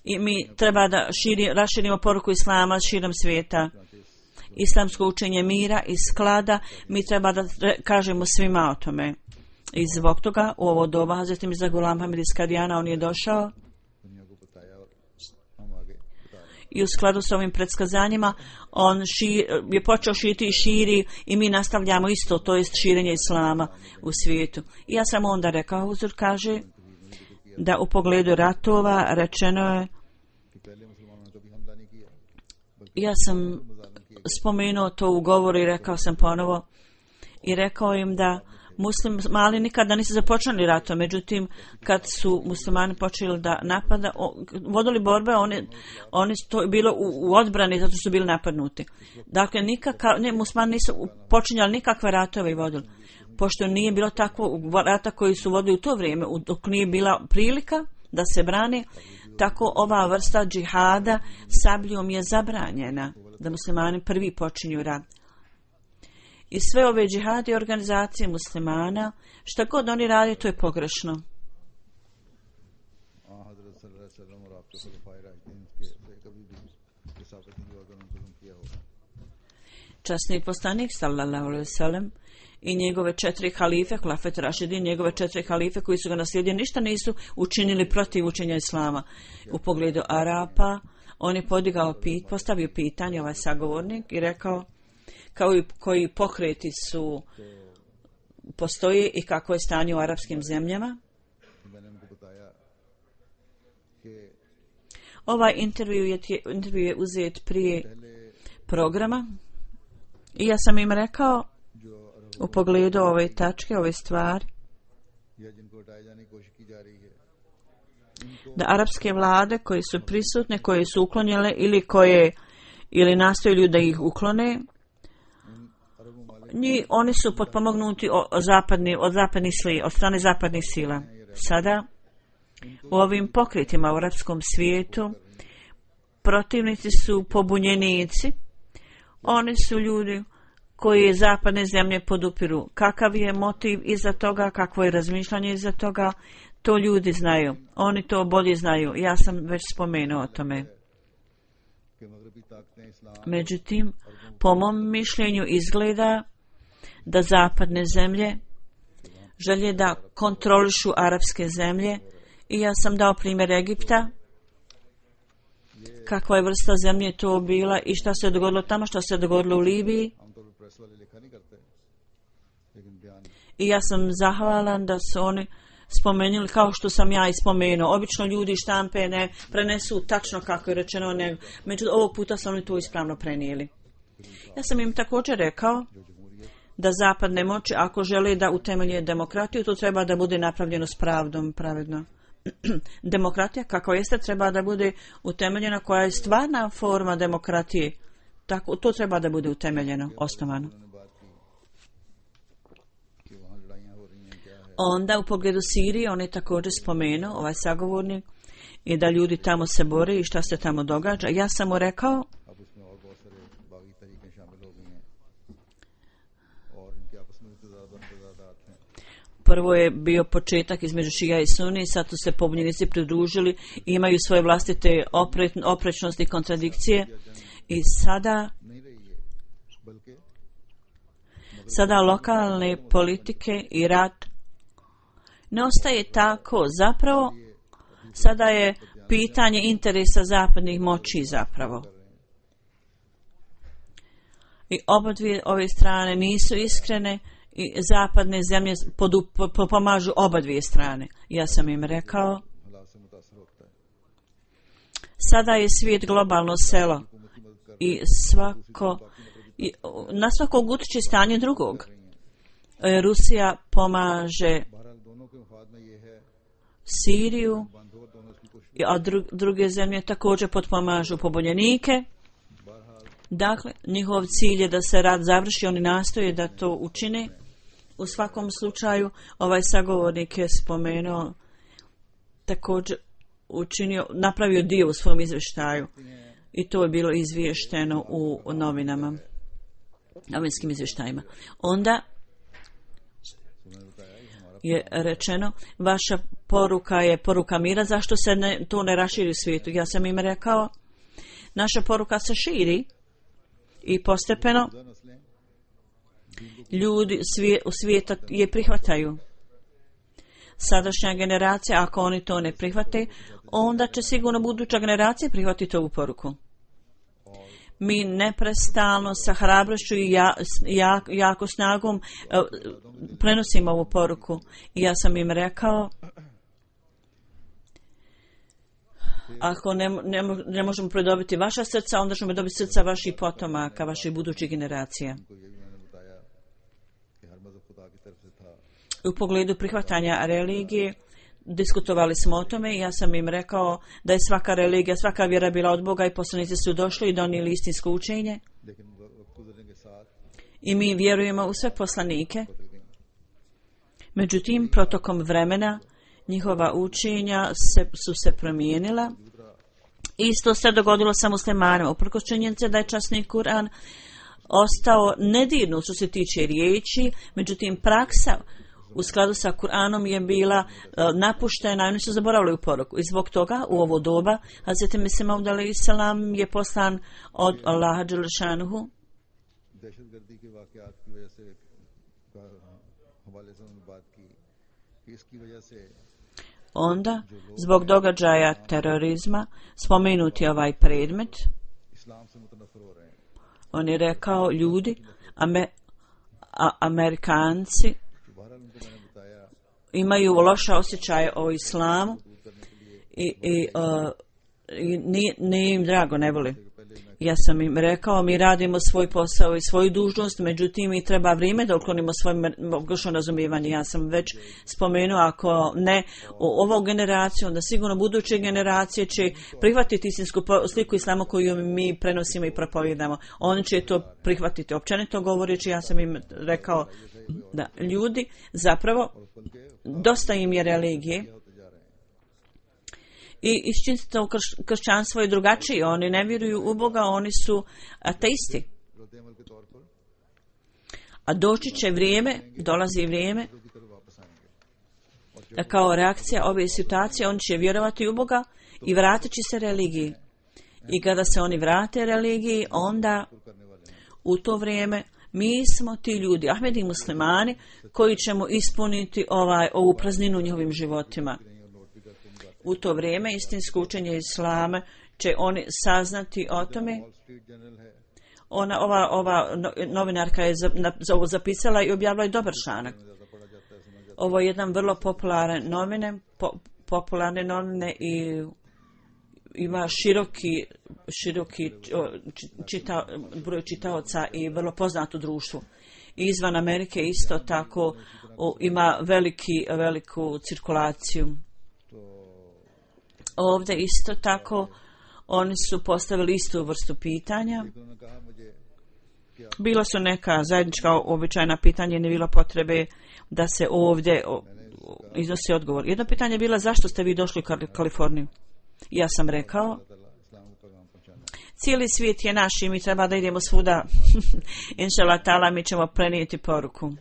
I mi treba da raširimo poruku islama širom svijeta. Islamsko učenje mira i sklada, mi treba da kažemo svima o tome. I zbog toga u ovo doba Hazreti Mirza Ghulam Hamid iz Kadijana on je došao i u skladu s ovim predskazanjima on je počeo širiti i širi i mi nastavljamo isto, to jest širenje islama u svijetu. I ja sam onda rekao, huzur kaže da u pogledu ratova rečeno je, ja sam spomenuo to u govoru i rekao sam ponovo i rekao im da muslimani nikada nisu započeli ratom, međutim kad su muslimani počeli da napada, vodili borbe, oni to je bilo u odbrani zato su bili napadnuti. Dakle, muslimani nisu počinjali nikakve ratove i vodili. Pošto nije bilo takvo rata koji su vodili u to vrijeme, dok nije bila prilika da se brane, tako ova vrsta džihada sabljom je zabranjena, da muslimani prvi počinju rat. I sve ove džihadi organizacije muslimana, šta god oni radi, to je pogrešno. Časni poslanik sallallahu alejhi ve sellem i njegove 4 halife, Hulafet Rašidin, njegove 4 halife koji su ga naslijedili, ništa nisu učinili protiv učenja islama. U pogledu Arapa, on je postavio pitanje, ovaj sagovornik, i rekao kao i koji pokreti su postoje i kako je stanje u arapskim zemljama. Ovaj intervju je uzet prije programa i ja sam im rekao u pogledu ove tačke, ove stvari, da arapske vlade koje su prisutne, koje su uklonjene ili nastoji da ih uklone, oni su potpomognuti od strane zapadnih sila. Sada u ovim pokretima u arapskom svijetu protivnici su pobunjenici. Oni su ljudi koje zapadne zemlje podupiru. Kakav je motiv iza toga, kakvo je razmišljanje iza toga, to ljudi znaju. Oni to bolje znaju. Ja sam već spomenuo o tome. Međutim, po mom mišljenju izgleda da zapadne zemlje želje da kontrolišu arapske zemlje i ja sam dao primjer Egipta, kakva je vrsta zemlje to bila i šta se dogodilo tamo, šta se dogodilo u Libiji. I ja sam zahvalan da su oni spomenuli kao što sam ja i spomenuo. Obično ljudi štampe ne prenesu tačno kako je rečeno, međutim ovog puta su oni to ispravno prenijeli. Ja sam im također rekao da zapadne moći, ako žele da utemelje demokratiju, to treba da bude napravljeno s pravdom, pravedno. Demokratija, kako jeste, treba da bude utemeljena, koja je stvarna forma demokratije. Tako, to treba da bude utemeljeno, osnovano. Onda u pogledu Sirije, on je također spomenuo, ovaj sagovornik, i da ljudi tamo se bore i šta se tamo događa. Ja sam mu rekao, prvo je bio početak između Šija i Suni, sad su se pobunjenici pridružili, imaju svoje vlastite oprečnosti i kontradikcije i sada lokalne politike i rat ne ostaje tako. Zapravo, sada je pitanje interesa zapadnih moći zapravo. I oba dvije ove strane nisu iskrene i zapadne zemlje pomažu oba dvije strane. Ja sam im rekao, sada je svijet globalno selo i na svakog utiče stanje drugog. Rusija pomaže Siriju, a druge zemlje također potpomažu pobunjenike. Dakle, njihov cilj je da se rat završi, oni nastoje da to učine. U svakom slučaju, ovaj sagovornik je spomenuo, također napravio dio u svom izvještaju i to je bilo izvješteno u novinama, novinskim izvještajima. Onda je rečeno, vaša poruka je poruka mira, zašto se to ne raširi u svijetu? Ja sam im rekao, naša poruka se širi i postepeno ljudi u svijeta je prihvataju. Sadašnja generacija, ako oni to ne prihvate, onda će sigurno buduća generacija prihvatiti ovu poruku. Mi neprestalno sa hrabrošću i jako snagom prenosimo ovu poruku. I ja sam im rekao, ako ne možemo pridobiti vaša srca, onda ćemo dobiti srca vaših potomaka, vaših budućih generacija. U pogledu prihvatanja religije, diskutovali smo o tome i ja sam im rekao da je svaka religija, svaka vjera bila od Boga i poslanici su došli i donijeli istinsko učenje. I mi vjerujemo u sve poslanike. Međutim, protokom vremena njihova učenja su se promijenila. Isto se dogodilo sa muslimanima. Uprkos činjenice da je časni Kur'an ostao nedirnut što se tiče riječi, međutim praksa u skladu sa Kur'anom je bila napuštena i oni su zaboravili u poruku. I zbog toga u ovo doba Hazreti Mesih Maud alejhi selam je poslan od Allaha dželle šanuhu. Onda, zbog događaja terorizma, spomenuti ovaj predmet, on je rekao, ljudi, Amerikanci imaju loše osjećaje o islamu i nije im drago, ne voli. Ja sam im rekao, mi radimo svoj posao i svoju dužnost, međutim mi treba vrijeme da uklonimo svoje pogrešno razumijevanje. Ja sam već spomenuo, ako ne ovu generaciju, onda sigurno buduće generacije će prihvatiti istinsku sliku islama koju mi prenosimo i propovijedamo. Oni će to prihvatiti. Općenito govoreći, ja sam im rekao da ljudi zapravo dosta im je religije. I istinito kršćanstvo je drugačije. Oni ne vjeruju u Boga, oni su ateisti. A doći će vrijeme, dolazi vrijeme, da kao reakcija ove situacije on će vjerovati u Boga i vratit će se religiji. I kada se oni vrate religiji, onda u to vrijeme mi smo ti ljudi, Ahmedi muslimani, koji ćemo ispuniti ovu prazninu u njihovim životima. U to vrijeme istinsko učenje Islama će oni saznati o tome. Ova novinarka je ovo zapisala i objavila je dobar članak. Ovo je jedan vrlo popularne novine i ima široki broj čitaoca i vrlo poznato društvo. I izvan Amerike isto tako ima veliku cirkulaciju. Ovdje isto tako oni su postavili istu vrstu pitanja. Bila su neka zajednička običajna pitanja i ne bilo potrebe da se ovdje iznosi odgovor. Jedno pitanje je bilo zašto ste vi došli u Kaliforniju? Ja sam rekao, cijeli svijet je naš i mi treba da idemo svuda. Inšallah ta'ala, mi ćemo prenijeti poruku.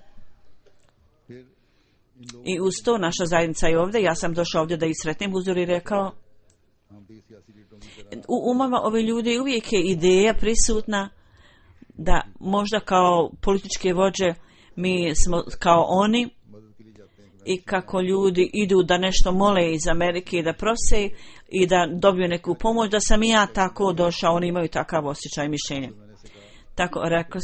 I uz to naša zajednica je ovdje. Ja sam došao ovdje da ih sretnem. Huzur je rekao, u umama ove ljudi uvijek je ideja prisutna da možda kao političke vođe mi smo kao oni i kako ljudi idu da nešto mole iz Amerike i da prose i da dobiju neku pomoć, da sam i ja tako došao, oni imaju takav osjećaj i mišljenje. Tako rekao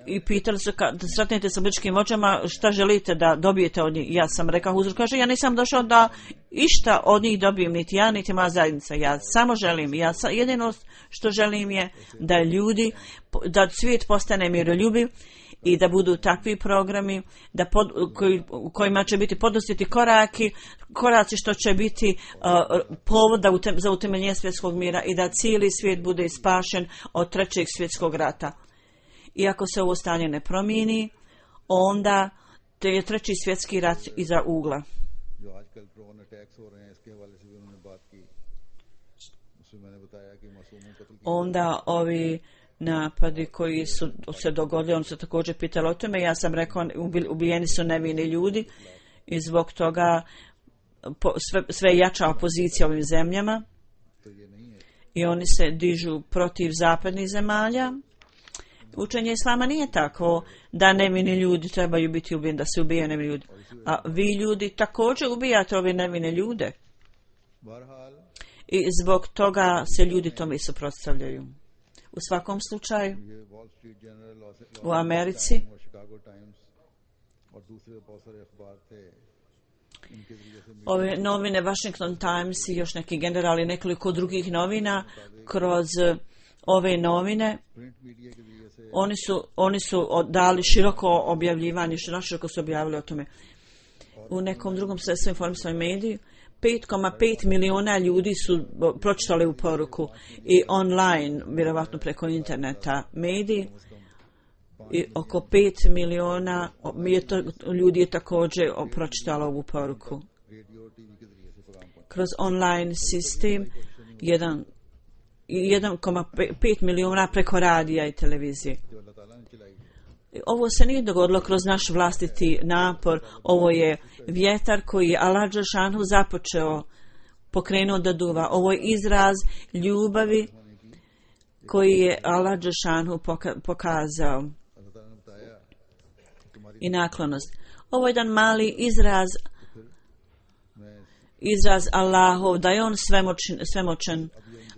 i pitali su da sretnete sa političkim vođama šta želite da dobijete od njih. Ja sam rekao, Huzur kaže, ja nisam došao da išta od njih dobijem, niti ja, niti moja zajednica. Ja samo želim, jedino što želim je da ljudi, da svijet postane miroljubiv i da budu takvi programi kojima će biti poduzeti koraci što će biti povod za utemeljenje svjetskog mira i da cijeli svijet bude spašen od trećeg svjetskog rata. I ako se ovo stanje ne promijeni, onda je treći svjetski rat iza ugla. Onda ovi napadi koji su se dogodili, on se također pitali o tome. Ja sam rekao, ubijeni su nevini ljudi i zbog toga sve jača opozicija ovim zemljama i oni se dižu protiv zapadnih zemalja. Učenje Islama nije tako da nevini ljudi trebaju biti ubijeni, da se ubijaju nevini ljudi. A vi ljudi također ubijate ove nevine ljude. I zbog toga se ljudi tome suprotstavljaju. U svakom slučaju, u Americi ove novine Washington Times i još neki generali, nekoliko drugih novina, kroz ove novine oni su dali široko objavljivanje, naširoko su objavili o tome. U nekom drugom sredstvu informisanom mediju 5,5 miliona ljudi su pročitali u poruku i online, vjerovatno preko interneta mediji, i oko 5 miliona ljudi je također pročitalo ovu poruku. Kroz online sistem 1,5 milijuna preko radija i televizije. Ovo se nije dogodilo kroz naš vlastiti napor, ovo je vjetar koji je Allah dželešanu pokrenuo da duva. Ovo je izraz ljubavi koji je Allah dželešanu pokazao i naklonost. Ovo je jedan mali izraz Allahov, da je on svemoćan.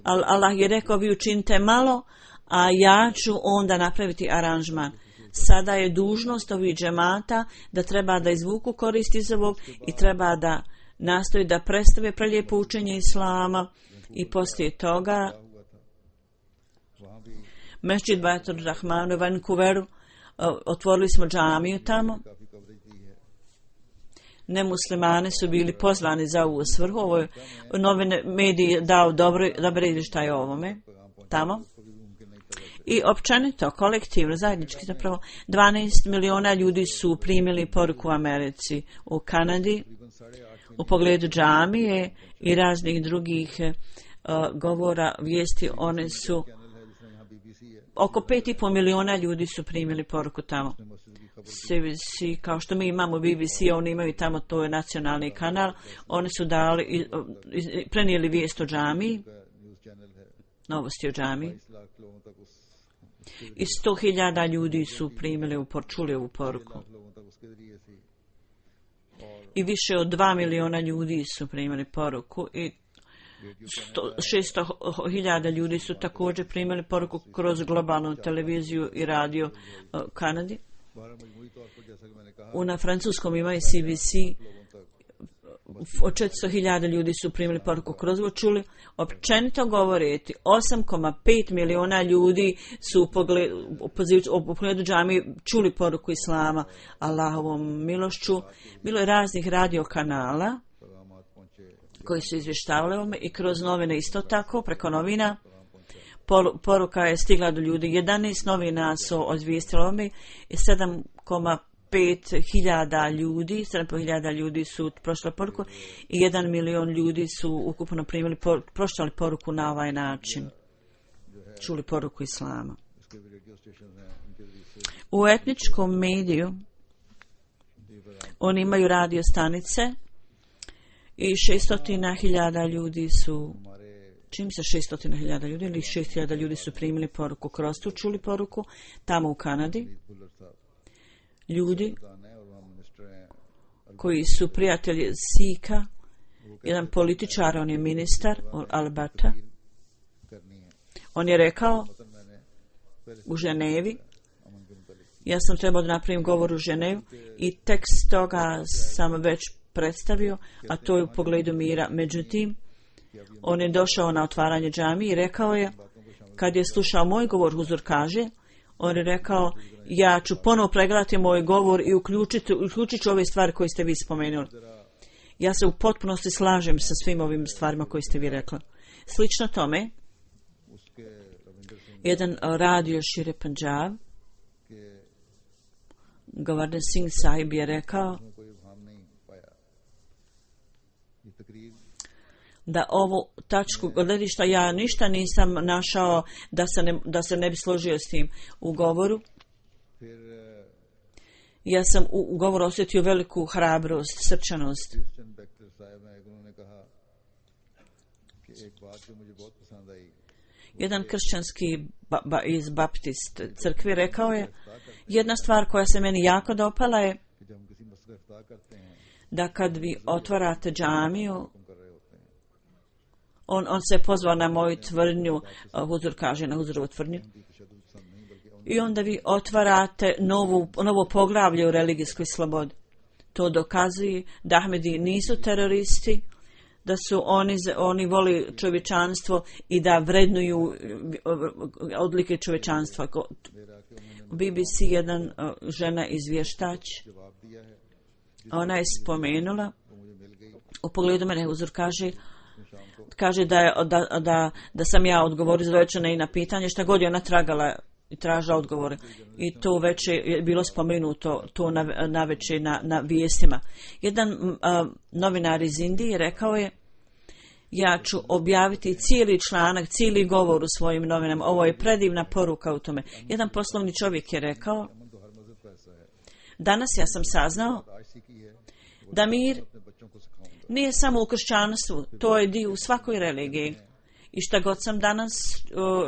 Allah je rekao, vi učinite malo, a ja ću onda napraviti aranžman. Sada je dužnost ovih džemata da treba da izvuku korist iz ovog i treba da nastoji da predstave prelijepo učenje Islama i poslije toga Mesdžid Baitur Rahmanu u Vancouveru, otvorili smo džamiju tamo. Nemuslimani su bili pozvani za ovu svrhu. Ovo je novine mediji dao dobre izvještaje o ovome tamo. I općenito, kolektivno, zajednički zapravo 12 miliona ljudi su primili poruku u Americi, u Kanadi, u pogledu džamije i raznih drugih govora, vijesti. One su oko 5,5 miliona ljudi su primili poruku tamo. CBC, kao što mi imamo BBC, oni imaju tamo, to je nacionalni kanal, oni su dali, prenijeli vijest o džamiji, novosti o džamiji. I 100,000 ljudi su primili, čuli ovu poruku. I više od 2 miliona ljudi su primili poruku i 600,000 ljudi su također primili poruku kroz globalnu televiziju i radio Kanadi. Na francuskom ima i CBC. Od 400,000 ljudi su primili poruku kroz ovo čuli. Općenito govoriti, 8,5 miliona ljudi su u pogledu džamije čuli poruku Islama Allahovom milošću. Bilo je raznih radio kanala koji su izvještavali ovome i kroz novine isto tako, preko novina. Poruka je stigla do ljudi. 11 novina su odvijestili ovome i 7,5 ljudi, 7,5 ljudi su prošli poruku i 1 milion ljudi su ukupno primili, prošli poruku na ovaj način. Čuli poruku Islama. U etničkom mediju oni imaju radio stanice i 600,000 ljudi su, čim se 600,000 ljudi ili 6,000 ljudi su primili poruku kroz tu, čuli poruku tamo u Kanadi. Ljudi koji su prijatelji Sika, jedan političar, on je ministar Alberta, on je rekao u Ženevi, ja sam trebao da napravim govor u Ženevu i tekst toga sam već predstavio, a to je u pogledu mira. Međutim, on je došao na otvaranje džamije i rekao je, kad je slušao moj govor, Huzur kaže, on je rekao, ja ću ponovo pregledati moj govor i uključit ću ove stvari koje ste vi spomenuli. Ja se u potpunosti slažem sa svim ovim stvarima koje ste vi rekli. Slično tome, jedan radio Šire Punjab, Govardhan Singh Sahib je rekao da ovu tačku gledišta ja ništa nisam našao da se ne bi složio s tim u govoru. Ja sam u govoru osjetio veliku hrabrost, srčanost. Jedan kršćanski iz Baptist crkve rekao je, jedna stvar koja se meni jako dopala je da kad vi otvarate džamiju, on se pozvao na moju tvrdnju, Huzur kaže na Huzurovu tvrdnju, i onda vi otvarate novo poglavlje u religijskoj slobodi. To dokazuje da Ahmedi nisu teroristi, da su oni voli čovječanstvo i da vrednuju odlike čovječanstva. BBC jedan žena izvještač, ona je spomenula, u pogledu mene Huzur kaže da sam ja odgovorio izvješćena i na pitanje šta god je ona tragala i tražila odgovore. I to već je bilo spomenuto to navečer na vijestima. Jedan novinar iz Indije rekao je, ja ću objaviti cijeli članak, cijeli govor u svojim novinama. Ovo je predivna poruka u tome. Jedan poslovni čovjek je rekao, danas ja sam saznao da mir nije samo u kršćanstvu, to je dio u svakoj religiji. I šta god sam danas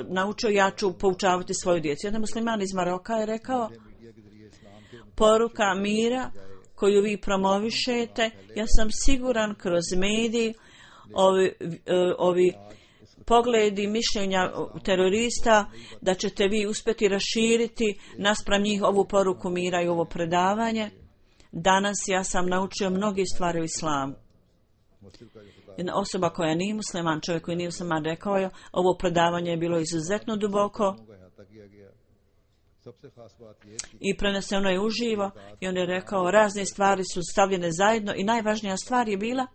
naučio, ja ću poučavati svoju djecu. Jedan musliman iz Maroka je rekao, poruka mira koju vi promovišete, ja sam siguran kroz mediji, ovi pogledi, mišljenja terorista, da ćete vi uspjeti raširiti naspram njih ovu poruku mira i ovo predavanje. Danas ja sam naučio mnoge stvari u islamu. Jedna osoba koja nije musliman, čovjek koji nije musliman, rekao je, ovo predavanje je bilo izuzetno duboko i preneseno je uživo, i on je rekao, razne stvari su stavljene zajedno i najvažnija stvar je bila,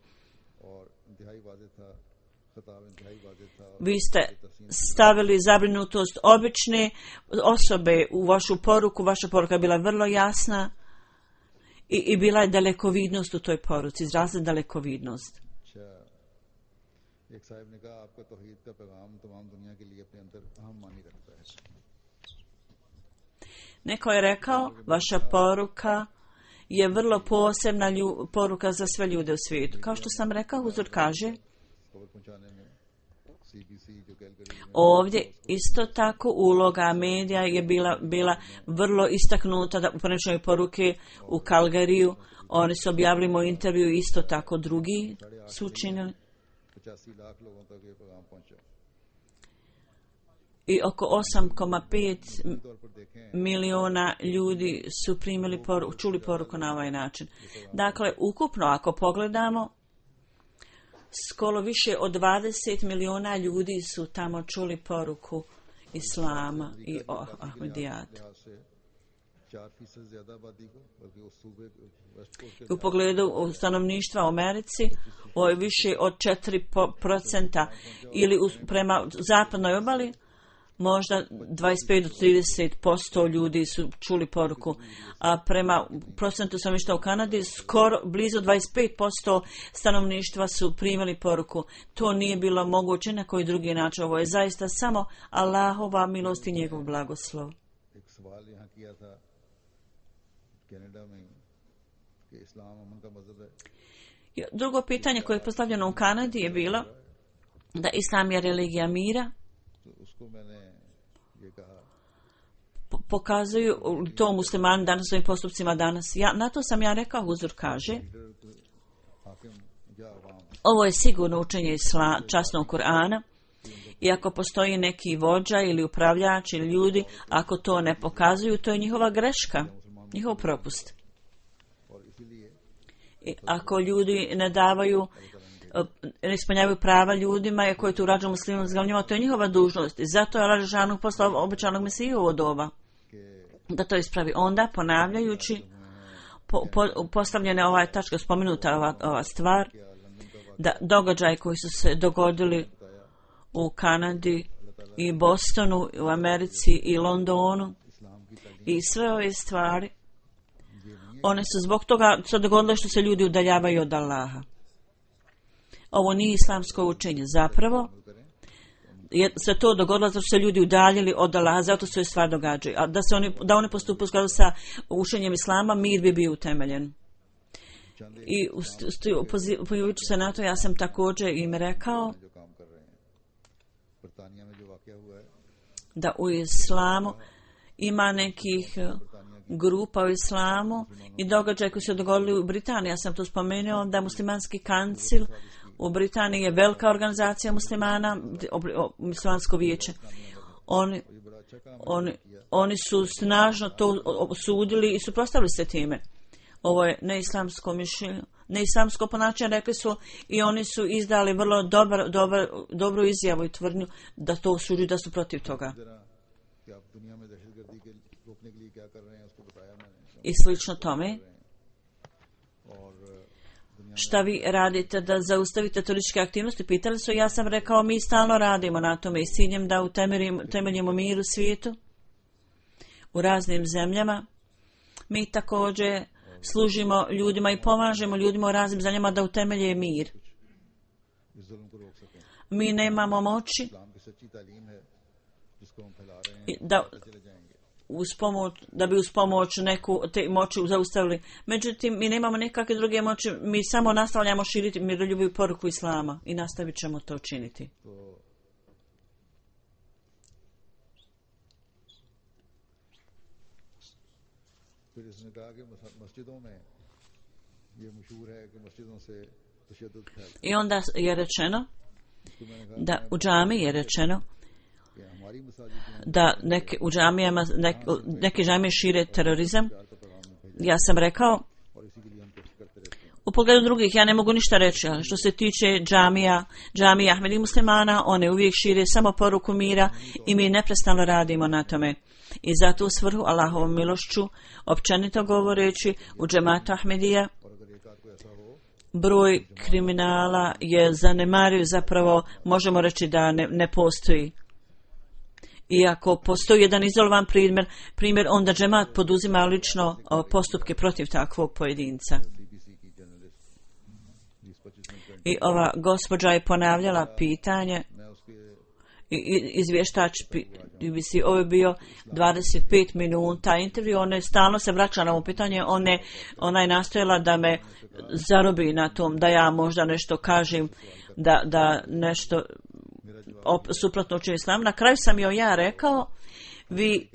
vi ste stavili zabrinutost obične osobe u vašu poruku, vaša poruka je bila vrlo jasna i bila je dalekovidnost u toj poruci, izrazila dalekovidnost. एक साहब ने कहा आपका तौहीद का पैगाम तमाम दुनिया के लिए अपने अंदर अहम मानी रखता है। Neko je rekao, vaša poruka je vrlo posebna poruka za sve ljude u svijetu. Kao što sam rekao, Huzur kaže, ovdje isto tako uloga medija je bila vrlo istaknuta da u prenošenju poruke u Kalgariju. Oni su objavili moj intervju, isto tako drugi su učinili. I oko 8,5 miliona ljudi su čuli poruku na ovaj način. Dakle, ukupno ako pogledamo, skoro više od 20 miliona ljudi su tamo čuli poruku Islama i Ahmedijata. U pogledu stanovništva u Americi, ovo je više od 4% ili prema zapadnoj obali, možda 25 do 30% ljudi su čuli poruku, a prema procentu stanovništva u Kanadi skoro blizu 25% stanovništva su primili poruku. To nije bilo moguće na koji drugi način. Ovo je zaista samo Allahova milost i njegov blagoslov. Drugo pitanje koje je postavljeno u Kanadi je bilo da Islam je religija mira. Pokazuju to muslimani danas svojim postupcima danas. Na to sam ja rekao, Huzur kaže, ovo je sigurno učenje časnog Kur'ana i ako postoji neki vođa ili upravljač ili ljudi, ako to ne pokazuju, to je njihova greška, njihov propust. I ako ljudi ne ispunjavaju prava ljudima i koji tu urađuju muslimom zglavnjima, to je njihova dužnost. I zato je Allah dželešanu poslao obećanog Mesiju ovo doba da to ispravi. Onda, ponavljajući postavljene ova tačka, spomenuta ova stvar, da događaji koji su se dogodili u Kanadi i Bostonu, u Americi i Londonu i sve ove stvari, one su zbog toga se dogodile što se ljudi udaljavaju od Allaha. Ovo nije islamsko učenje. Zapravo se to dogodilo zato što se ljudi udaljili od Allaha, zato se stvar događaju. A da oni postupaju u skladu sa učenjem Islama, mir bi bio utemeljen. I pozivajući se na to, ja sam također im rekao da u Islamu ima nekih grupa u Islamu i događaj koji su dogodili u Britaniji. Ja sam to spomenuo da muslimanski kancil u Britaniji je velika organizacija muslimana, muslimansko vijeće. Oni su snažno to osudili i suprotstavili se time. Ovo je neislamsko mišljenje, neislamsko ponašanje, rekli su, i oni su izdali vrlo dobru izjavu i tvrdnju da to osuđuju, da su protiv toga. I slično tome, šta vi radite da zaustavite terorističke aktivnosti? Pitali su, ja sam rekao, mi stalno radimo na tome i s ciljem da utemeljimo mir u svijetu, u raznim zemljama. Mi također služimo ljudima i pomažemo ljudima u raznim zemljama da utemelje mir. Mi nemamo moći da bi uz pomoć te moći zaustavili. Međutim, mi nemamo nekakve druge moći, mi samo nastavljamo širiti miroljubivu poruku Islama i nastavit ćemo to činiti. I onda je rečeno da u džami je rečeno da neke džamije šire terorizam. Ja sam rekao, u pogledu drugih ja ne mogu ništa reći, ali što se tiče džamija Ahmedi muslimana, one uvijek šire samo poruku mira i mi neprestano radimo na tome. I zato u svrhu Allahovom milošću, općenito govoreći, u džematu Ahmedija broj kriminala je zanemariv, zapravo možemo reći da ne postoji. I ako postoji jedan izolovan primjer, onda džemat poduzima lično postupke protiv takvog pojedinca. I ova gospođa je ponavljala pitanje izvještač BBC, ovo je bio 25 minuta intervju, ona je stalno se vraća na ovo pitanje, ona je nastojala da me zarobi na tom, da ja možda nešto kažem, da nešto suprotno učini islamu. Na kraju sam joj ja rekao, vi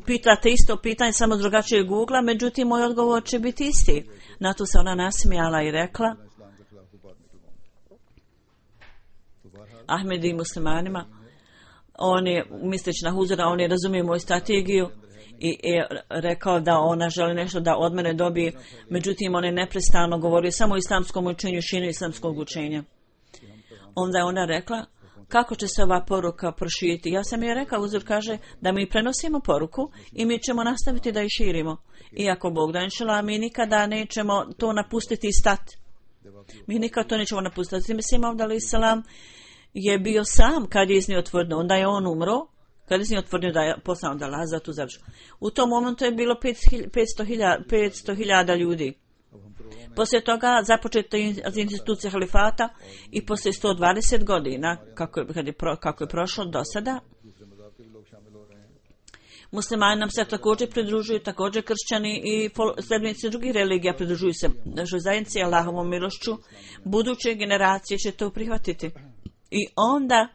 pitate isto pitanje samo s drugačijeg Google-a, međutim moj odgovor će biti isti. Na to se ona nasmijala i rekla, Ahmedi i muslimanima, on je, misleći na Huzura, on je razumio moju strategiju i rekao da ona želi nešto da od mene dobije, međutim on je neprestano govorio samo o islamskom učenju, šinu islamskog učenja. Onda je ona rekla, kako će se ova poruka proširiti? Ja sam je rekao, Huzur kaže da mi prenosimo poruku i mi ćemo nastaviti da je širimo. Iako Bog da inšala, mi nikada nećemo to napustiti i stati. Mi nikada to nećemo napustiti. Mislim, Avdali Salam je bio sam kad je iznio tvrdno. Onda je on umro, kad je iznio tvrdno da je poslano da Allah za tu završu. U tom momentu je bilo 500.000 ljudi. Poslije toga započeta institucija halifata i poslije 120 godina, kako je prošlo do sada, muslimani nam se također pridružuju, također kršćani i sljedbenici drugih religija pridružuju se našoj zajednici Allahovom milošću. Buduće generacije će to prihvatiti. I onda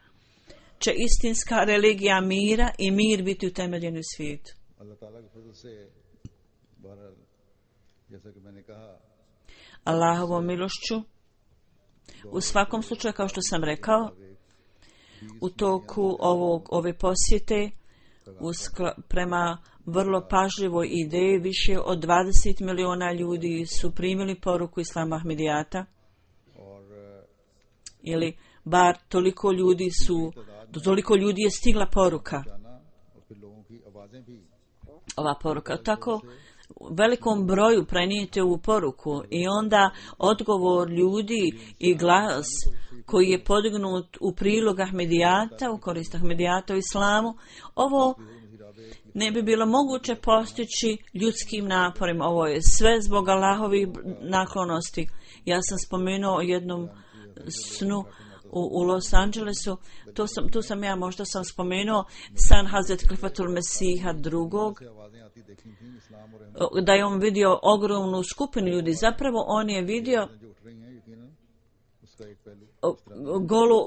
će istinska religija mira i mir biti utemeljen u svijetu. Allahovom milošću, u svakom slučaju, kao što sam rekao, u toku ove posjete, prema vrlo pažljivoj ideji, više od 20 miliona ljudi su primili poruku Islama Ahmedijata, ili bar toliko ljudi je stigla poruka. Ova poruka tako velikom broju prenijete u poruku i onda odgovor ljudi i glas koji je podignut u prilog Ahmedijata, u korist Ahmedijata u islamu, ovo ne bi bilo moguće postići ljudskim naporima. Ovo je sve zbog Allahovih naklonosti. Ja sam spomenuo o jednom snu u Los Angelesu, tu sam ja možda sam spomenuo san Hazret Klifatul Mesiha drugog, da je on vidio ogromnu skupinu ljudi. Zapravo on je vidio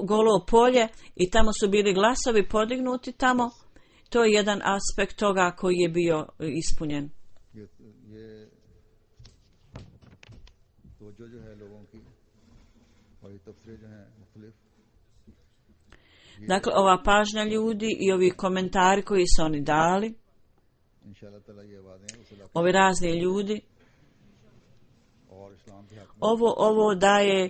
golo polje i tamo su bili glasovi podignuti tamo. To je jedan aspekt toga koji je bio ispunjen. Dakle, ova pažnja ljudi i ovi komentari koji su oni dali, ovi razni ljudi, ovo daje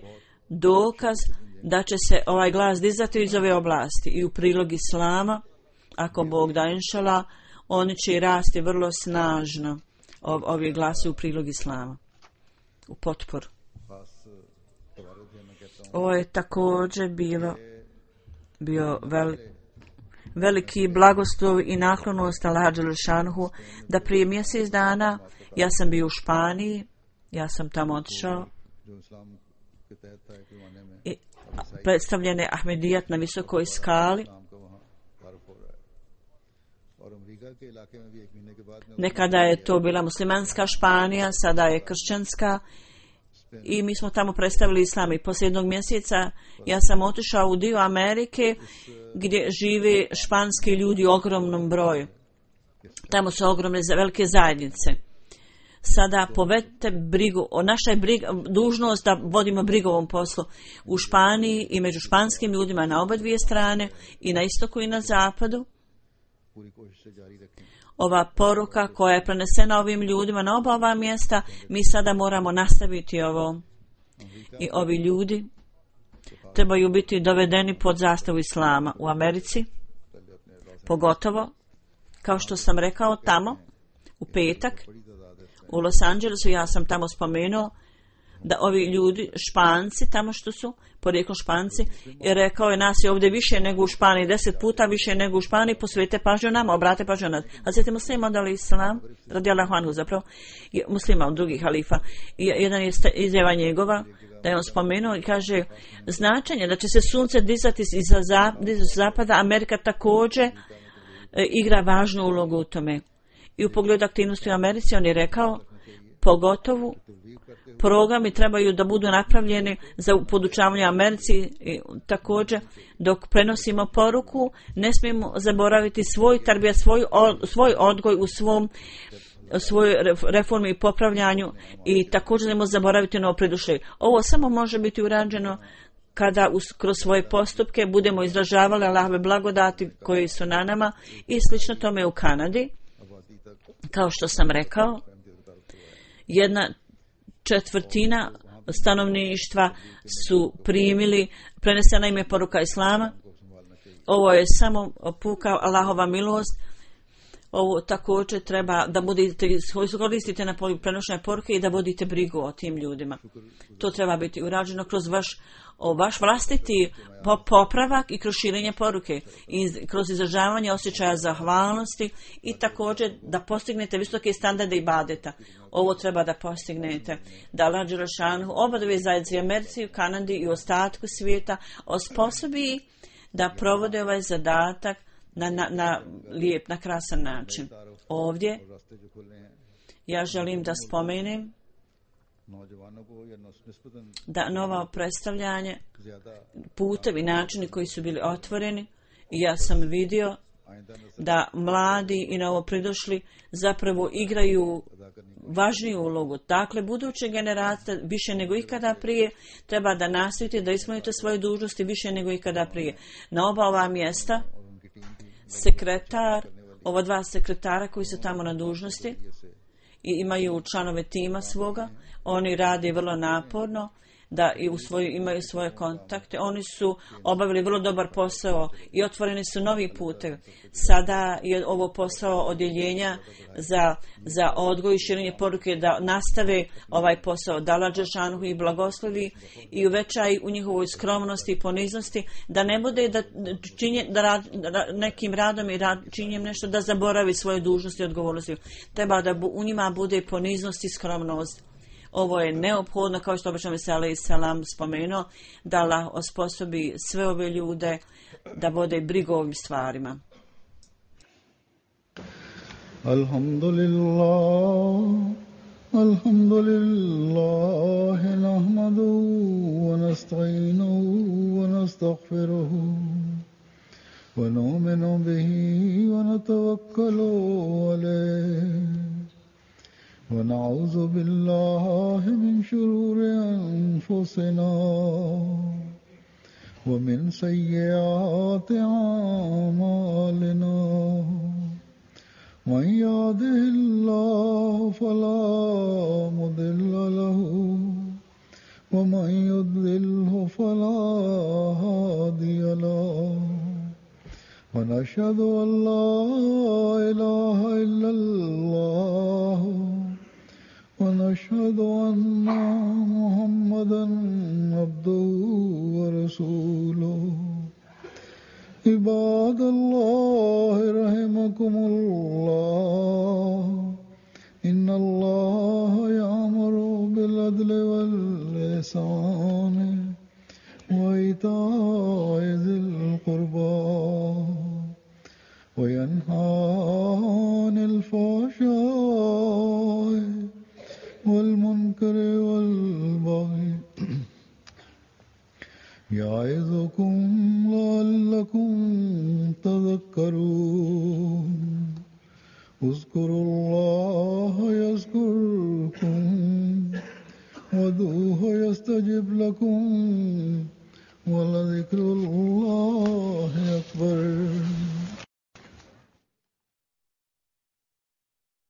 dokaz da će se ovaj glas dizati iz ove oblasti i u prilog islama, ako Bog da inšala, oni će rasti vrlo snažno, ovi glasi u prilog islama, u potporu. Ovo je također bio veliki blagoslov i naklonost Allaha dželešanuhu da prije mjesec dana ja sam bio u Španiji, ja sam tamo otišao i predstavljen je Ahmedijat na visokoj skali. Nekada je to bila muslimanska Španija, sada je kršćanska i mi smo tamo predstavili islam. I poslije jednog mjeseca ja sam otišao u dio Amerike gdje žive španski ljudi u ogromnom broju. Tamo su ogromne velike zajednice. Sada povedite brigu, naša je dužnost da vodimo brigu o ovom poslu u Španiji i među španskim ljudima na oba dvije strane, i na istoku i na zapadu. Ova poruka koja je prenesena ovim ljudima na oba ova mjesta, mi sada moramo nastaviti ovo. I ovi ljudi trebaju biti dovedeni pod zastavu islama u Americi, pogotovo, kao što sam rekao, tamo, u petak, u Los Angelesu, ja sam tamo spomenuo, da ovi ljudi, Španci, tamo što su, porijeklom Španci, i rekao je nas je ovdje više nego u Španiji, 10 puta više nego u Španiji, posvete pažnju nama, obrate pažnju nas. Hazreti Muslima odali islam, radijallahu anhu zapravo, muslima od drugih halifa, i jedan je izjava njegova, da je on spomenuo i kaže značenje da će se sunce dizati iz zapada, Amerika također igra važnu ulogu u tome. I u pogledu aktivnosti u Americi on je rekao, pogotovo programi trebaju da budu napravljeni za podučavanje Americi i također dok prenosimo poruku ne smijemo zaboraviti svoj tarbija, svoj odgoj u svojoj reformi i popravljanju i također nemojmo zaboraviti novo pridušlje. Ovo samo može biti urađeno kada kroz svoje postupke budemo izražavali Allahove blagodati koji su na nama i slično tome u Kanadi. Kao što sam rekao, 1/4 stanovništva su primili, prenesena im je poruka Islama. Ovo je samo puka Allahova milost. Ovo također treba da budete, koristite na prenošenje poruke i da vodite brigu o tim ljudima. To treba biti urađeno kroz vaš vlastiti popravak i kroz širenje poruke i kroz izražavanje osjećaja zahvalnosti i također da postignete visoke standarde ibadeta. Ovo treba da postignete. Da Allah dželešanu oba dvije zajednice u Americi, u Kanadi i u ostatku svijeta osposobi da provode ovaj zadatak na lijep, na krasan način. Ovdje ja želim da spomenem da novo predstavljanje, putevi, načini koji su bili otvoreni i ja sam vidio da mladi i novopridošli zapravo igraju važniju ulogu. Dakle, buduće generacije više nego ikada prije treba da nastojite da ispunite svoje dužnosti više nego ikada prije. Na oba ova mjesta ova dva sekretara koji su tamo na dužnosti i imaju članove tima svoga, oni rade vrlo naporno da imaju svoje kontakte. Oni su obavili vrlo dobar posao i otvoreni su novi putevi. Sada je ovo posao odjeljenja za odgoj i širenje poruke da nastave ovaj posao, da Allah dželešanu i blagoslovi i uvećaj u njihovoj skromnosti i poniznosti, da ne bude da nekim radom i činjenjem nešto da zaboravi svoje dužnosti i odgovornosti. Treba da u njima bude poniznost i skromnost. Ovo je neophodno, kao što obično se alejhi selam spomenuo, da Allah osposobi sve ove ljude da vode brigu o ovim stvarima. Alhamdulillah, nahmaduhu wa nasta'inuhu wa nastaghfiruhu wa nu'minu bihi wa natawakkalu alayhi. ونعوذ بالله من شرور أنفسنا ومن سيئات أعمالنا من يهده الله فلا مضل له ومن يضلله فلا هادي له ونشهد أن لا إله إلا الله ونشهد أن محمدًا